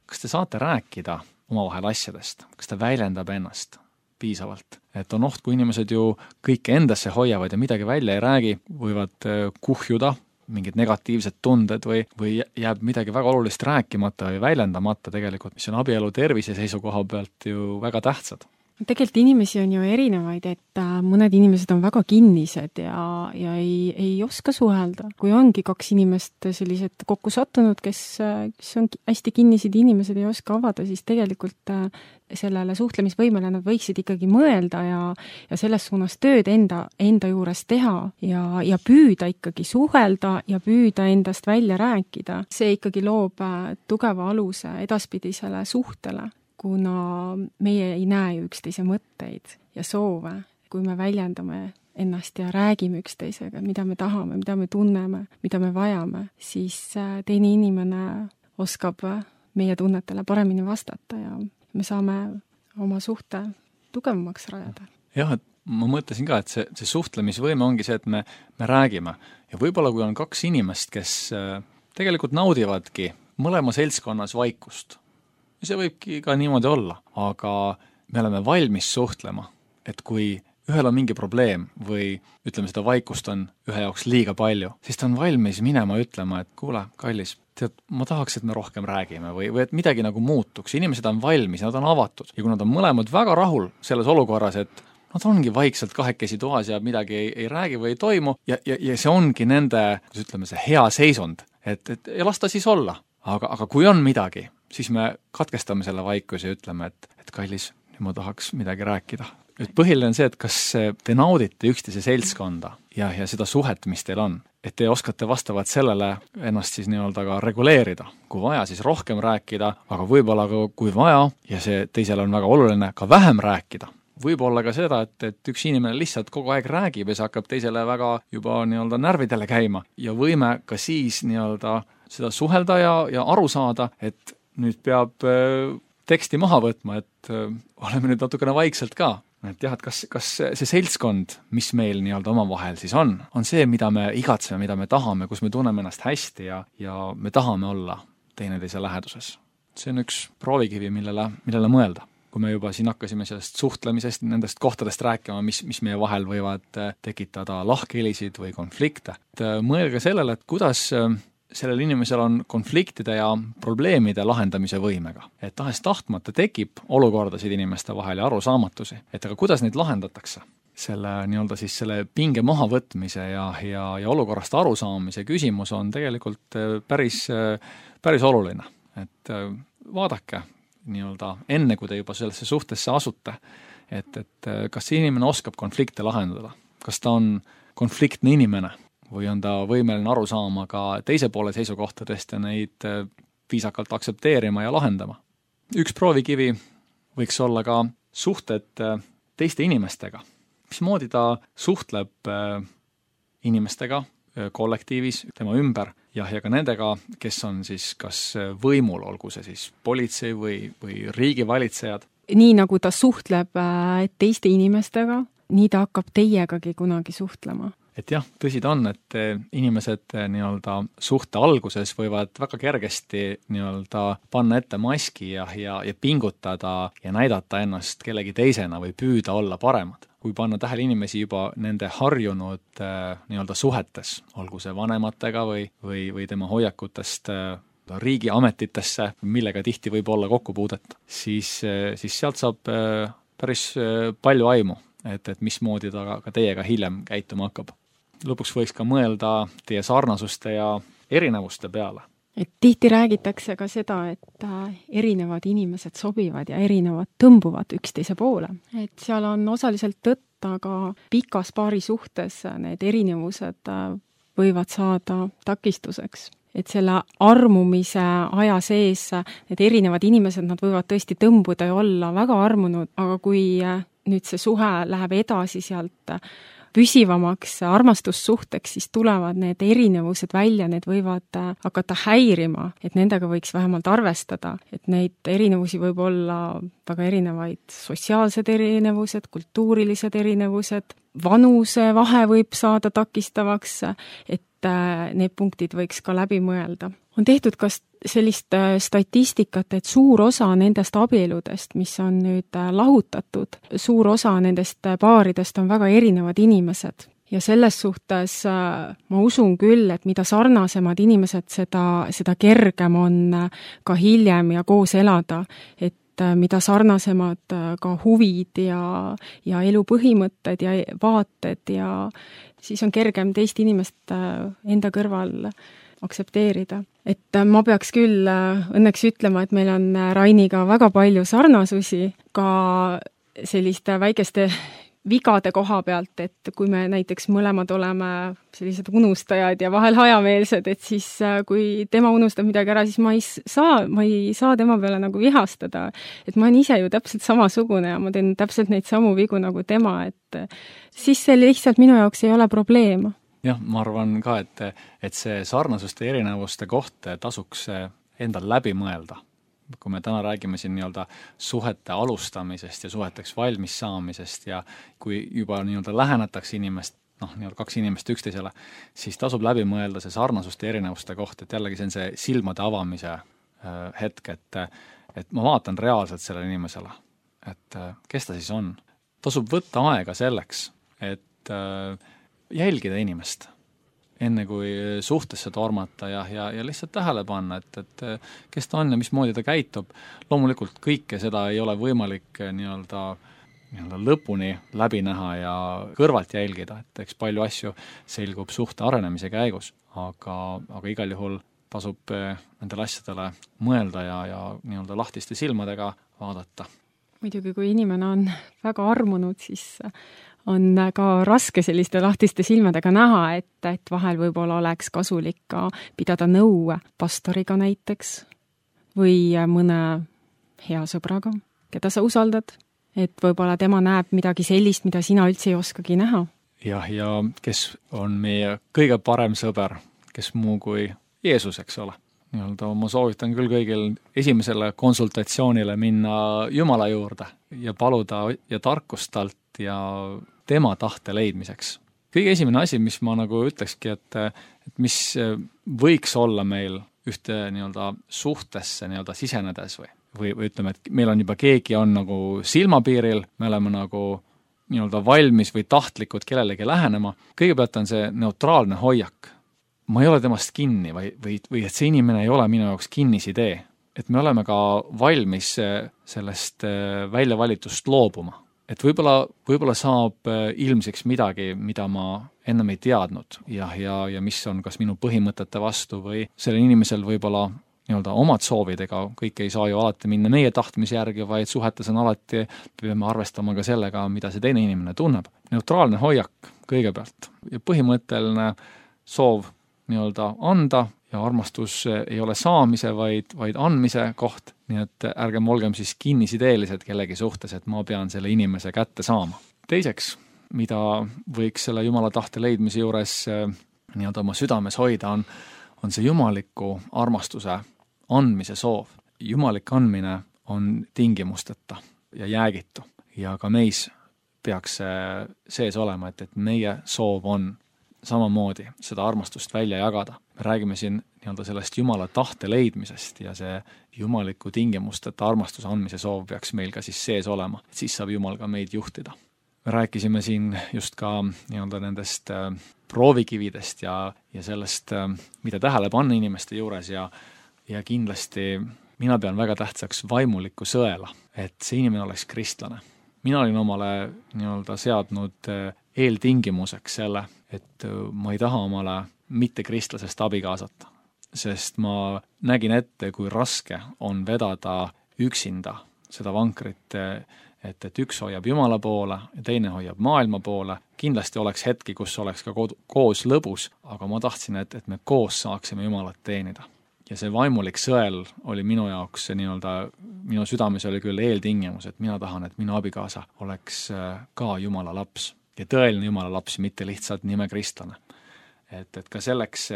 kas te saate rääkida omavahel asjadest, kas ta väljendab ennast piisavalt? Et on oht, kui inimesed ju kõike endasse hoiavad ja midagi välja ei räägi, võivad kuhjuda mingid negatiivsed tunded või jääb midagi väga olulist rääkimata või väljendamata tegelikult, mis on abielu tervise seisukoha pealt ju väga tähtsad.
Tegelikult inimesi on ju erinevaid, et mõned inimesed on väga kinnised ja ei oska suhelda. Kui ongi kaks inimest sellised kokku sattunud, kes on hästi kinnised inimesed ei oska avada, siis tegelikult sellele suhtlemisvõimele nad võiksid ikkagi mõelda ja selles suunas tööd enda juures teha ja püüda ikkagi suhelda ja püüda endast välja rääkida. See ikkagi loob tugeva aluse edaspidisele suhtele, kuna meie ei näe ju üksteise mõtteid ja soove, kui me väljendame ennast ja räägime üksteisega, mida me tahame, mida me tunneme, mida me vajame, siis teine inimene oskab meie tunnetele paremini vastata ja me saame oma suhte tugevamaks rajada.
Jah, et ma mõtlesin ka, et see suhtlemisvõime ongi see, et me räägime. Ja võib-olla kui on kaks inimest, kes tegelikult naudivadki mõlema seltskonnas vaikust, see võibki ka niimoodi olla, aga me oleme valmis suhtlema, et kui ühel on mingi probleem või ütleme, seda vaikust on ühe jaoks liiga palju, siis ta on valmis minema ütlema, et kuule, kallis, tead, ma tahaks, et me rohkem räägime või et midagi nagu muutuks. Inimesed on valmis, nad on avatud ja kui nad on mõlemad väga rahul selles olukorras, et nad ongi vaikselt kahekesi toas ja midagi ei räägi või ei toimu ja see ongi nende, kuidas ütleme, see hea seisund, et ja las ta siis olla. Aga kui on midagi, siis me katkestame selle vaikuse ja ütleme, et kallis, nüüd ma tahaks midagi rääkida. Et põhiline on see, et kas te naudite üksteise seltskonda ja seda suhet, mis teil on. Et te oskate vastavalt sellele ennast siis nii-öelda ka reguleerida. Kui vaja, siis rohkem rääkida, aga võib-olla kui vaja, ja see teisele on väga oluline, ka vähem rääkida. Võib-olla ka seda, et üks inimene lihtsalt kogu aeg räägib ja see hakkab teisele väga juba nii-öelda närvidele käima ja võime ka siis nii-öelda seda suhelda ja aru saada, et nüüd peab teksti maha võtma, et oleme nüüd natukene vaikselt ka. Et jah, et kas see seltskond, mis meil nii-öelda omavahel siis on see, mida me igatseme, mida me tahame, kus me tunneme ennast hästi ja me tahame olla teineteise läheduses. See on üks proovikivi, millele mõelda. Kui me juba siin hakkasime sellest suhtlemisest, nendest kohtadest rääkima, mis meie vahel võivad tekitada lahkhelisid või konflikte, et mõelge sellele, et kuidas sellel inimesel on konfliktide ja probleemide lahendamise võimega. Et tahes tahtmata tekib olukordasid inimeste vahel ja arusaamatusi. Et aga kuidas neid lahendatakse? Selle nii-öelda siis selle pinge mahavõtmise ja olukorrast arusaamise küsimus on tegelikult päris oluline. Et vaadake nii-öelda enne, kui te juba sellesse suhtesse asute, et kas see inimene oskab konflikte lahendada? Kas ta on konfliktne inimene? Või on ta võimeline aru saama ka teise poole seisukohtadest ja neid viisakalt aksepteerima ja lahendama. Üks proovikivi võiks olla ka suhted teiste inimestega. Mismoodi ta suhtleb inimestega kollektiivis, tema ümber ja ka nendega, kes on siis kas võimul, olgu see siis politsei või riigivalitsejad.
Nii nagu ta suhtleb teiste inimestega, nii ta hakkab teiegagi kunagi suhtlema.
Et jah, tõsi ta on, et inimesed nii-öelda suhte alguses võivad väga kergesti nii-öelda panna ette maski ja pingutada ja näidata ennast kellegi teisena või püüda olla paremad. Kui panna tähele inimesi juba nende harjunud nii-öelda suhetes, olgu see vanematega või tema hoiakutest riigiametitesse, millega tihti võib olla kokkupuudet, siis sealt saab päris palju aimu, et mismoodi ta ka teiega hiljem käituma hakkab. Lõpuks võiks ka mõelda teie sarnasuste ja erinevuste peale.
Et tihti räägitakse ka seda, et erinevad inimesed sobivad ja erinevad tõmbuvad üksteise poole. Et seal on osaliselt tõtt, aga pikas paari suhtes need erinevused võivad saada takistuseks. Et selle armumise aja sees need erinevad inimesed, nad võivad tõesti tõmbuda ja olla väga armunud, aga kui nüüd see suhe läheb edasi sealt püsivamaks armastussuhteks, siis tulevad need erinevused välja, need võivad hakata häirima, et nendega võiks vähemalt arvestada, et neid erinevusi võib olla väga erinevaid sotsiaalsed erinevused, kultuurilised erinevused, vanuse vahe võib saada takistavaks, et need punktid võiks ka läbi mõelda. On tehtud ka sellist statistikat, et suur osa nendest abieludest, mis on nüüd lahutatud, suur osa nendest paaridest on väga erinevad inimesed. Ja selles suhtes ma usun küll, et mida sarnasemad inimesed, seda kergem on ka hiljem ja koos elada. Et mida sarnasemad ka huvid ja elu põhimõtted ja vaated ja siis on kergem teist inimest enda kõrval aktsepteerida. Et ma peaks küll õnneks ütlema, et meil on Rainiga väga palju sarnasusi ka selliste väikeste vigade koha pealt, et kui me näiteks mõlemad oleme sellised unustajad ja vahel hajameelsed, et siis kui tema unustab midagi ära, siis ma ei saa tema peale nagu vihastada. Et ma olen ise ju täpselt samasugune ja ma teen täpselt neid samu vigu nagu tema, et siis see lihtsalt minu jaoks ei ole probleem.
Jah, ma arvan ka, et see sarnasuste erinevuste koht tasuks endal läbi mõelda. Kui me täna räägime siin nii-öelda suhete alustamisest ja suheteks valmis saamisest ja kui juba nii-öelda lähenetakse inimest, nii-öelda kaks inimest üksteisele, siis tasub läbi mõelda see sarnasuste erinevuste koht, et jällegi see on see silmade avamise hetk, et ma vaatan reaalselt sellele inimesele, et kes ta siis on. Tasub võtta aega selleks, et jälgida inimest, enne kui suhtesse tormata ja lihtsalt tähele panna, et kes ta on ja mismoodi ta käitub. Loomulikult kõike seda ei ole võimalik nii-öelda lõpuni läbi näha ja kõrvalt jälgida, et eks palju asju selgub suhte arenemise käigus, aga igal juhul tasub nendele asjadele mõelda ja nii-öelda lahtiste silmadega vaadata.
Muidugi, kui inimene on väga armunud, siis on ka raske selliste lahtiste silmadega näha, et vahel võib-olla oleks kasulik ka pidada nõu pastoriga näiteks või mõne hea sõbraga, keda sa usaldad, et võib-olla tema näeb midagi sellist, mida sina üldse ei oskagi näha.
Ja kes on meie kõige parem sõber, kes muu kui Jeesus, eks ole. Ma soovitan küll kõigil esimesele konsultatsioonile minna Jumala juurde ja paluda ja tarkust talt ja tema tahte leidmiseks. Kõige esimene asi, mis ma nagu ütlekski, et mis võiks olla meil ühte nii-öelda suhtesse nii-öelda sisenedes või ütleme, et meil on juba keegi on nagu silmapiiril, me oleme nagu nii-öelda valmis või tahtlikud kellelegi lähenema. Kõigepealt on see neutraalne hoiak. Ma ei ole temast kinni või et see inimene ei ole minu jaoks kinnisidee. Et me oleme ka valmis sellest väljavalitust loobuma. Et võib-olla saab ilmseks midagi, mida ma ennem ei teadnud ja mis on kas minu põhimõtete vastu või sellel inimesel võib-olla nii-öelda omad soovid, ega kõik ei saa ju alati minna meie tahtmise järgi, vaid suhetes on alati, peame arvestama ka sellega, mida see teine inimene tunneb. Neutraalne hoiak kõigepealt ja põhimõtteline soov nii-öelda anda ja armastus ei ole saamise, vaid andmise koht. Nii et ärgem olgem siis kinnisideelised kellegi suhtes, et ma pean selle inimese kätte saama. Teiseks, mida võiks selle Jumala tahte leidmise juures nii-öelda oma südames hoida, on see jumaliku armastuse andmise soov. Jumalik andmine on tingimusteta ja jäägitu ja ka meis peaks sees olema, et meie soov on samamoodi seda armastust välja jagada. Me räägime siin nii-öelda sellest Jumala tahte leidmisest ja see jumaliku tingimusteta armastuse andmise soov peaks meil ka siis sees olema, et siis saab Jumal ka meid juhtida. Me rääkisime siin just ka nii-öelda nendest proovikividest ja sellest, mida tähele panna inimeste juures ja kindlasti mina pean väga tähtsaks vaimulikku sõela, et see inimene oleks kristlane. Mina olin omale nii-öelda seadnud eeltingimuseks selle, et ma ei taha omale mitte kristlasest abikaasat, sest ma nägin ette, kui raske on vedada üksinda seda vankrit, et üks hoiab Jumala poole ja teine hoiab maailma poole. Kindlasti oleks hetki, kus oleks ka koos lõbus, aga ma tahtsin, et me koos saaksime Jumalat teenida. Ja see vaimulik sõel oli minu jaoks nii-öelda, minu südames oli küll eeltingimus, et mina tahan, et minu abikaasa oleks ka Jumala laps ja tõeline Jumala laps, mitte lihtsalt nime kristlane. Et ka selleks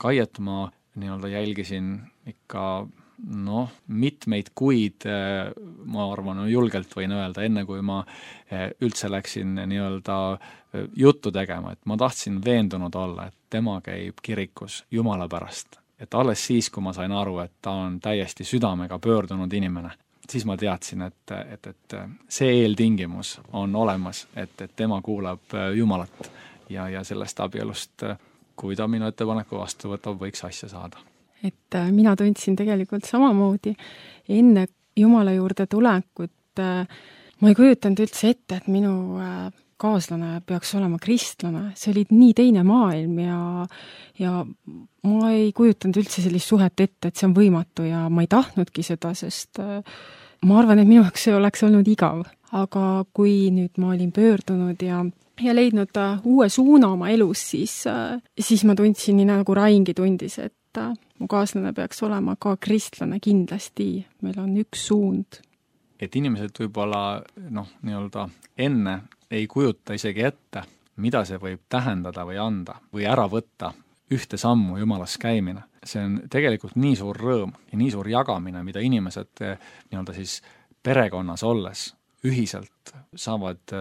Kaiet ma nii-öelda jälgisin ikka mitmeid kuid, ma arvan, julgelt võin öelda, enne kui ma üldse läksin nii-öelda juttu tegema, et ma tahtsin veendunud olla, et tema käib kirikus Jumala pärast. Et alles siis, kui ma sain aru, et ta on täiesti südamega pöördunud inimene, siis ma teadsin, et see eeltingimus on olemas, et tema kuulab Jumalat ja sellest abielust, kui ta minu ettepaneku vastu võtab, võiks asja saada.
Et mina tundsin tegelikult samamoodi enne, Jumala juurde tulekut ma ei kujutanud üldse ette, et minu kaaslane peaks olema kristlane. See oli nii teine maailm ja ma ei kujutanud üldse sellist suhet ette, et see on võimatu ja ma ei tahtnudki seda, sest ma arvan, et minu jaoks see oleks olnud igav. Aga kui nüüd ma olin pöördunud ja leidnud uue suuna oma elus, siis ma tundsin nii nagu Raingi tundis, et mu kaaslane peaks olema ka kristlane kindlasti. Meil on üks suund.
Et inimesed võib-olla nii-öelda enne ei kujuta isegi ette, mida see võib tähendada või anda või ära võtta ühte sammu Jumalas käimine. See on tegelikult nii suur rõõm ja nii suur jagamine, mida inimesed nii-öelda siis perekonnas olles ühiselt saavad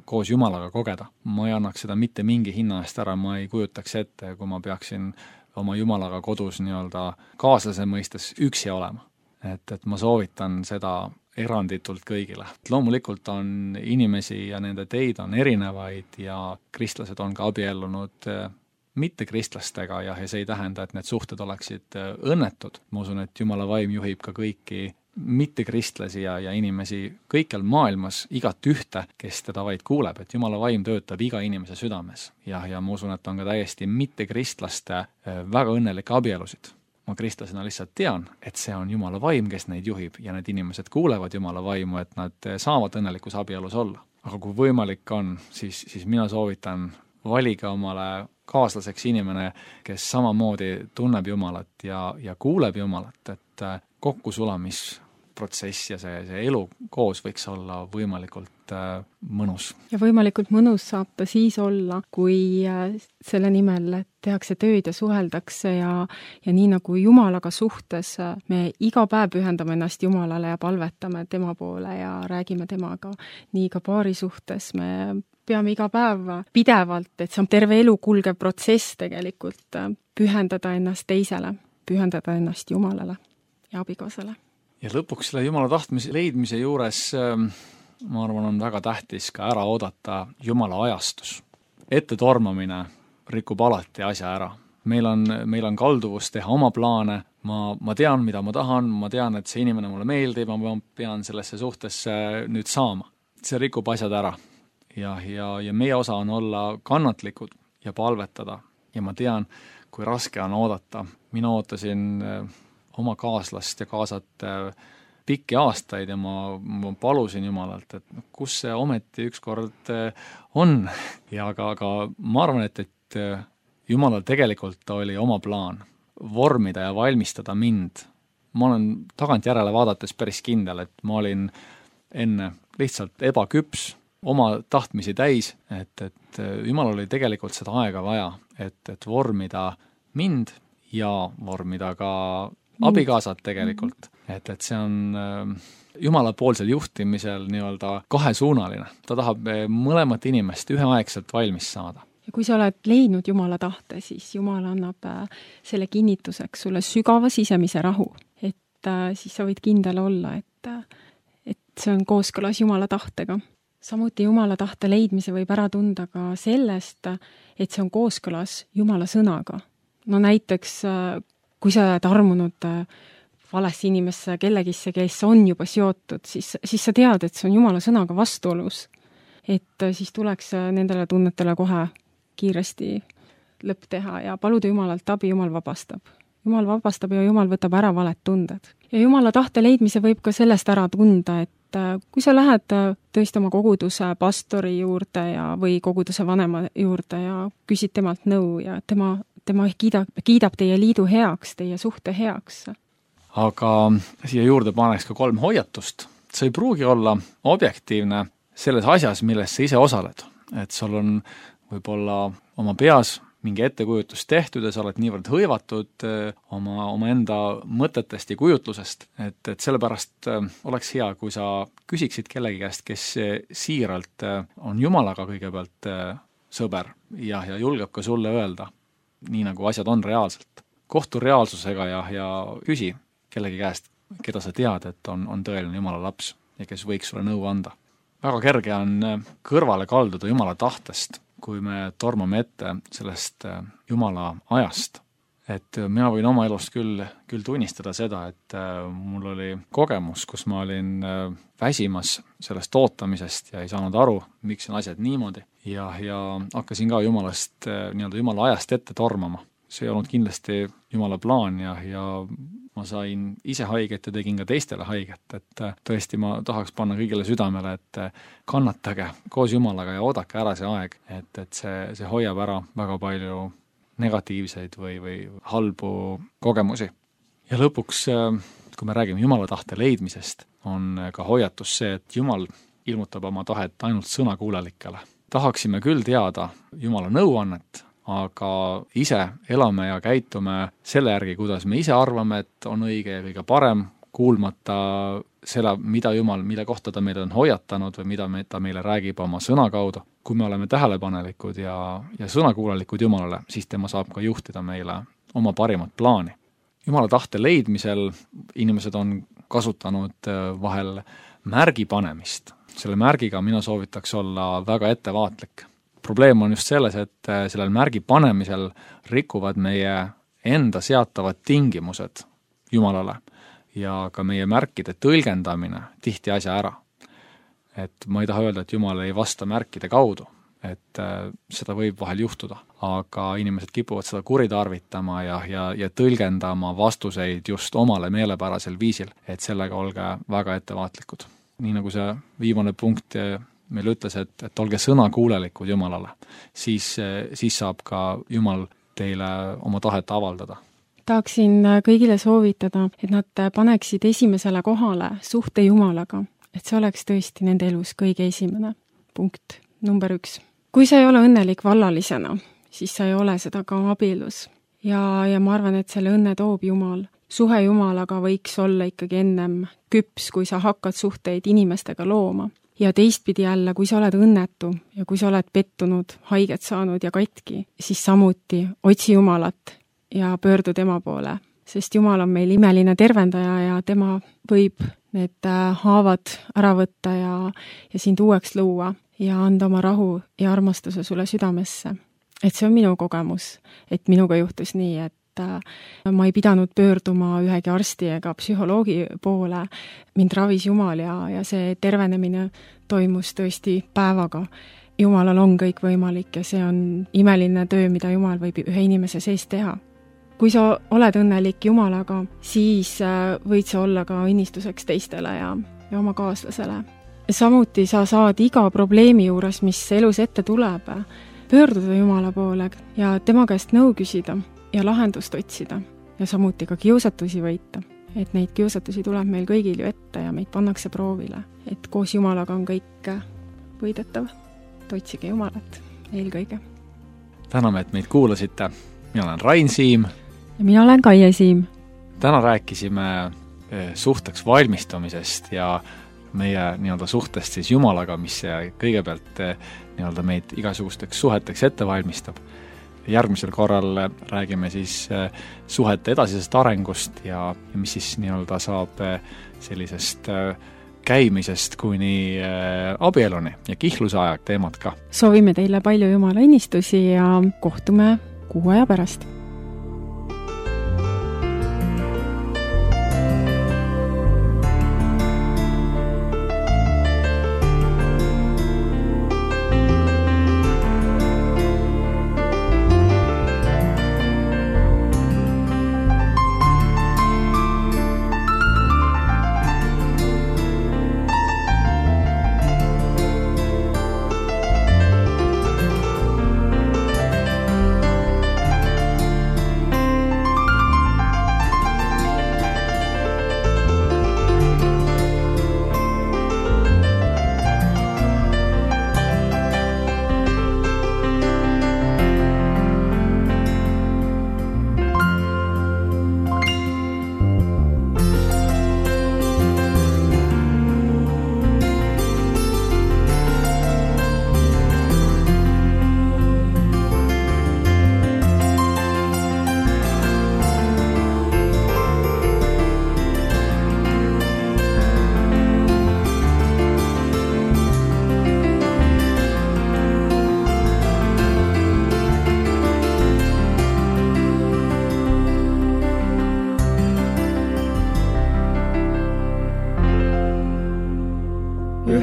koos Jumalaga kogeda. Ma ei annaks seda mitte mingi hinna eest ära, ma ei kujutaks ette, kui ma peaksin oma Jumalaga kodus nii-öelda kaaslase mõistes üksi olema. Et ma soovitan seda eranditult kõigile. Loomulikult on inimesi ja nende teid on erinevaid ja kristlased on ka abiellunud mittekristlastega ja see ei tähenda, et need suhted oleksid õnnetud. Ma usun, et Jumala vaim juhib ka kõiki mittekristlasi ja inimesi kõikjal maailmas, igat ühte, kes teda vaid kuuleb, et Jumala vaim töötab iga inimese südames. Ja ma usun, et on ka täiesti mittekristlaste väga õnnelikke abielusid. Ma kristlasena lihtsalt tean, et see on Jumala vaim, kes neid juhib ja need inimesed kuulevad Jumala vaimu, et nad saavad õnnelikus abielus olla. Aga kui võimalik on, siis mina soovitan valige omale kaaslaseks inimene, kes samamoodi tunneb Jumalat ja kuuleb Jumalat, et kokkusulamisprotsess ja see elu koos võiks olla võimalikult mõnus.
Ja võimalikult mõnus saab ta siis olla, kui selle nimel tehakse tööd ja suheldakse ja nii nagu Jumalaga suhtes me iga päev pühendame ennast Jumalale ja palvetame tema poole ja räägime temaga. Nii ka paari suhtes me peame iga päev pidevalt, et see on terve elu kulgev protsess tegelikult, pühendada ennast teisele, pühendada ennast Jumalale ja abikaasale.
Ja lõpuks selle Jumala tahtmise leidmise juures ma arvan, on väga tähtis ka ära oodata Jumala ajastus. Ette tormamine rikub alati asja ära. Meil on kalduvus teha oma plaane, ma tean, mida ma tahan, ma tean, et see inimene mulle meeldib, ma pean sellesse suhtesse nüüd saama. See rikub asjad ära ja meie osa on olla kannatlikud ja palvetada ja ma tean, kui raske on oodata. Mina ootasin oma kaaslast ja kaasat pikki aastaid ja ma palusin Jumalalt, et kus see ometi ükskord on. Ja aga ma arvan, et Jumalal tegelikult oli oma plaan vormida ja valmistada mind. Ma olen tagantjärele vaadates päris kindel, et ma olin enne lihtsalt ebaküps, oma tahtmisi täis, et Jumalal oli tegelikult seda aega vaja, et vormida mind ja vormida ka abikaasad tegelikult. Et see on Jumala poolsel juhtimisel nii-öelda kahesuunaline. Ta tahab mõlemat inimest üheaegselt valmis saada.
Ja kui sa oled leidnud Jumala tahte, siis Jumal annab selle kinnituseks sulle sügava sisemise rahu. Et siis sa võid kindel olla, et see on kooskõlas Jumala tahtega. Samuti Jumala tahte leidmise võib ära tunda ka sellest, et see on kooskõlas Jumala sõnaga. No näiteks, kui sa oled armunud valesse inimesse kellegisse, kes on juba seotud, siis sa tead, et see on Jumala sõnaga vastuolus. Et siis tuleks nendele tunnetele kohe kiiresti lõpp teha ja paluda Jumalalt abi, Jumal vabastab. Jumal vabastab ja Jumal võtab ära valed tunded. Ja Jumala tahte leidmise võib ka sellest ära tunda, et kui sa lähed tõesti oma koguduse pastori juurde või koguduse vanema juurde ja küsid temalt nõu ja tema kiidab teie liidu heaks, teie suhte heaks.
Aga siia juurde paneks ka 3 hoiatust. See ei pruugi olla objektiivne selles asjas, milles sa ise osaled. Et sul on võib-olla oma peas mingi ettekujutus tehtud ja sa oled niivõrd hõivatud oma enda mõtetest ja kujutlusest, et sellepärast oleks hea, kui sa küsiksid kellegi käest, kes siiralt on Jumalaga kõigepealt sõber ja julgeb ka sulle öelda, nii nagu asjad on reaalselt. Kohtu reaalsusega ja küsi kellegi käest, keda sa tead, et on tõeline Jumala laps ja kes võiks sulle nõu anda. Väga kerge on kõrvale kalduda Jumala tahtest, kui me tormame ette sellest Jumala ajast. et mina võin oma elust küll tunnistada seda, et mul oli kogemus, kus ma olin väsimas sellest ootamisest ja ei saanud aru, miks on asjad niimoodi ja hakkasin ka Jumalast, Jumala ajast ette tormama. See ei olnud kindlasti Jumala plaan ja ma sain ise haiget ja tegin ka teistele haiget, et tõesti ma tahaks panna kõigile südamele, et kannatage koos Jumalaga ja oodake ära see aeg, et see hoiab ära väga palju negatiivseid või halbu kogemusi. Ja lõpuks, kui me räägime Jumala tahte leidmisest, on ka hoiatus see, et Jumal ilmutab oma tahet ainult sõnakuulelikele. Tahaksime küll teada Jumala nõuannet, aga ise elame ja käitume selle järgi, kuidas me ise arvame, et on õige ja kõige parem, kuulmata selle, mille kohta ta meid on hoiatanud või mida ta meile räägib oma sõna kaudu. Kui me oleme tähelepanelikud ja sõnakuulelikud Jumalale, siis tema saab ka juhtida meile oma parimat plaani. Jumala tahte leidmisel inimesed on kasutanud vahel märgi panemist. Selle märgiga mina soovitaks olla väga ettevaatlik. Probleem on just selles, et sellel märgi panemisel rikuvad meie enda seatavad tingimused Jumalale ja ka meie märkide tõlgendamine tihti asja ära. Et ma ei taha öelda, et Jumal ei vasta märkide kaudu, et seda võib vahel juhtuda, aga inimesed kipuvad seda kuritarvitama ja tõlgendama vastuseid just omale meelepärasel viisil, et sellega olge väga ettevaatlikud. Nii nagu see viimane punkt meil ütles, et olge sõnakuulelikud Jumalale, siis saab ka Jumal teile oma tahet avaldada.
Tahaksin kõigile soovitada, et nad paneksid esimesele kohale suhte Jumalaga, et see oleks tõesti nende elus kõige esimene punkt, number 1. Kui sa ei ole õnnelik vallalisena, siis sa ei ole seda ka abielus. Ja ma arvan, et selle õnne toob Jumal. Suhe Jumalaga võiks olla ikkagi ennem küps, kui sa hakkad suhteid inimestega looma. Ja teistpidi jälle, kui sa oled õnnetu ja kui sa oled pettunud, haiget saanud ja katki, siis samuti otsi Jumalat ja pöördu tema poole, sest Jumal on meil imeline tervendaja ja tema võib need haavad ära võtta ja sind uueks luua ja anda oma rahu ja armastuse sulle südamesse. Et see on minu kogemus, et minuga juhtus nii, et ma ei pidanud pöörduma ühegi arsti ega psühholoogi poole, mind ravis Jumal ja see tervenemine toimus tõesti päevaga. Jumalal on kõik võimalik ja see on imeline töö, mida Jumal võib ühe inimese sees teha. Kui sa oled õnnelik Jumalaga, siis võid sa olla ka õnnistuseks teistele ja oma kaaslasele. Samuti sa saad iga probleemi juures, mis elus ette tuleb, pöörduda Jumala poole ja tema käest nõu küsida ja lahendust otsida ja samuti ka kiusatusi võita. Et neid kiusatusi tuleb meil kõigil ju ette ja meid pannakse proovile. Et koos Jumalaga on kõik võidetav. Otsige Jumalat eelkõige.
Täname, et meid kuulasite. Mina olen Rain Siim.
Ja mina olen Kaie Siim.
Täna rääkisime suhteks valmistumisest ja meie suhtest siis Jumalaga, mis kõigepealt meid igasugusteks suheteks ette valmistab. Järgmisel korral räägime siis suhete edasisest arengust ja mis siis saab sellisest käimisest kuni abieluni ja kihluse aja teemad ka.
Soovime teile palju Jumala õnnistusi ja kohtume kuu aja pärast.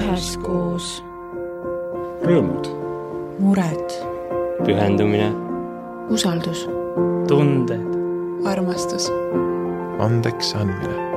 üheskoos.
Rõõmud.
Mured.
Pühendumine.
Usaldus.
Tunded.
Armastus.
Andeks andmine.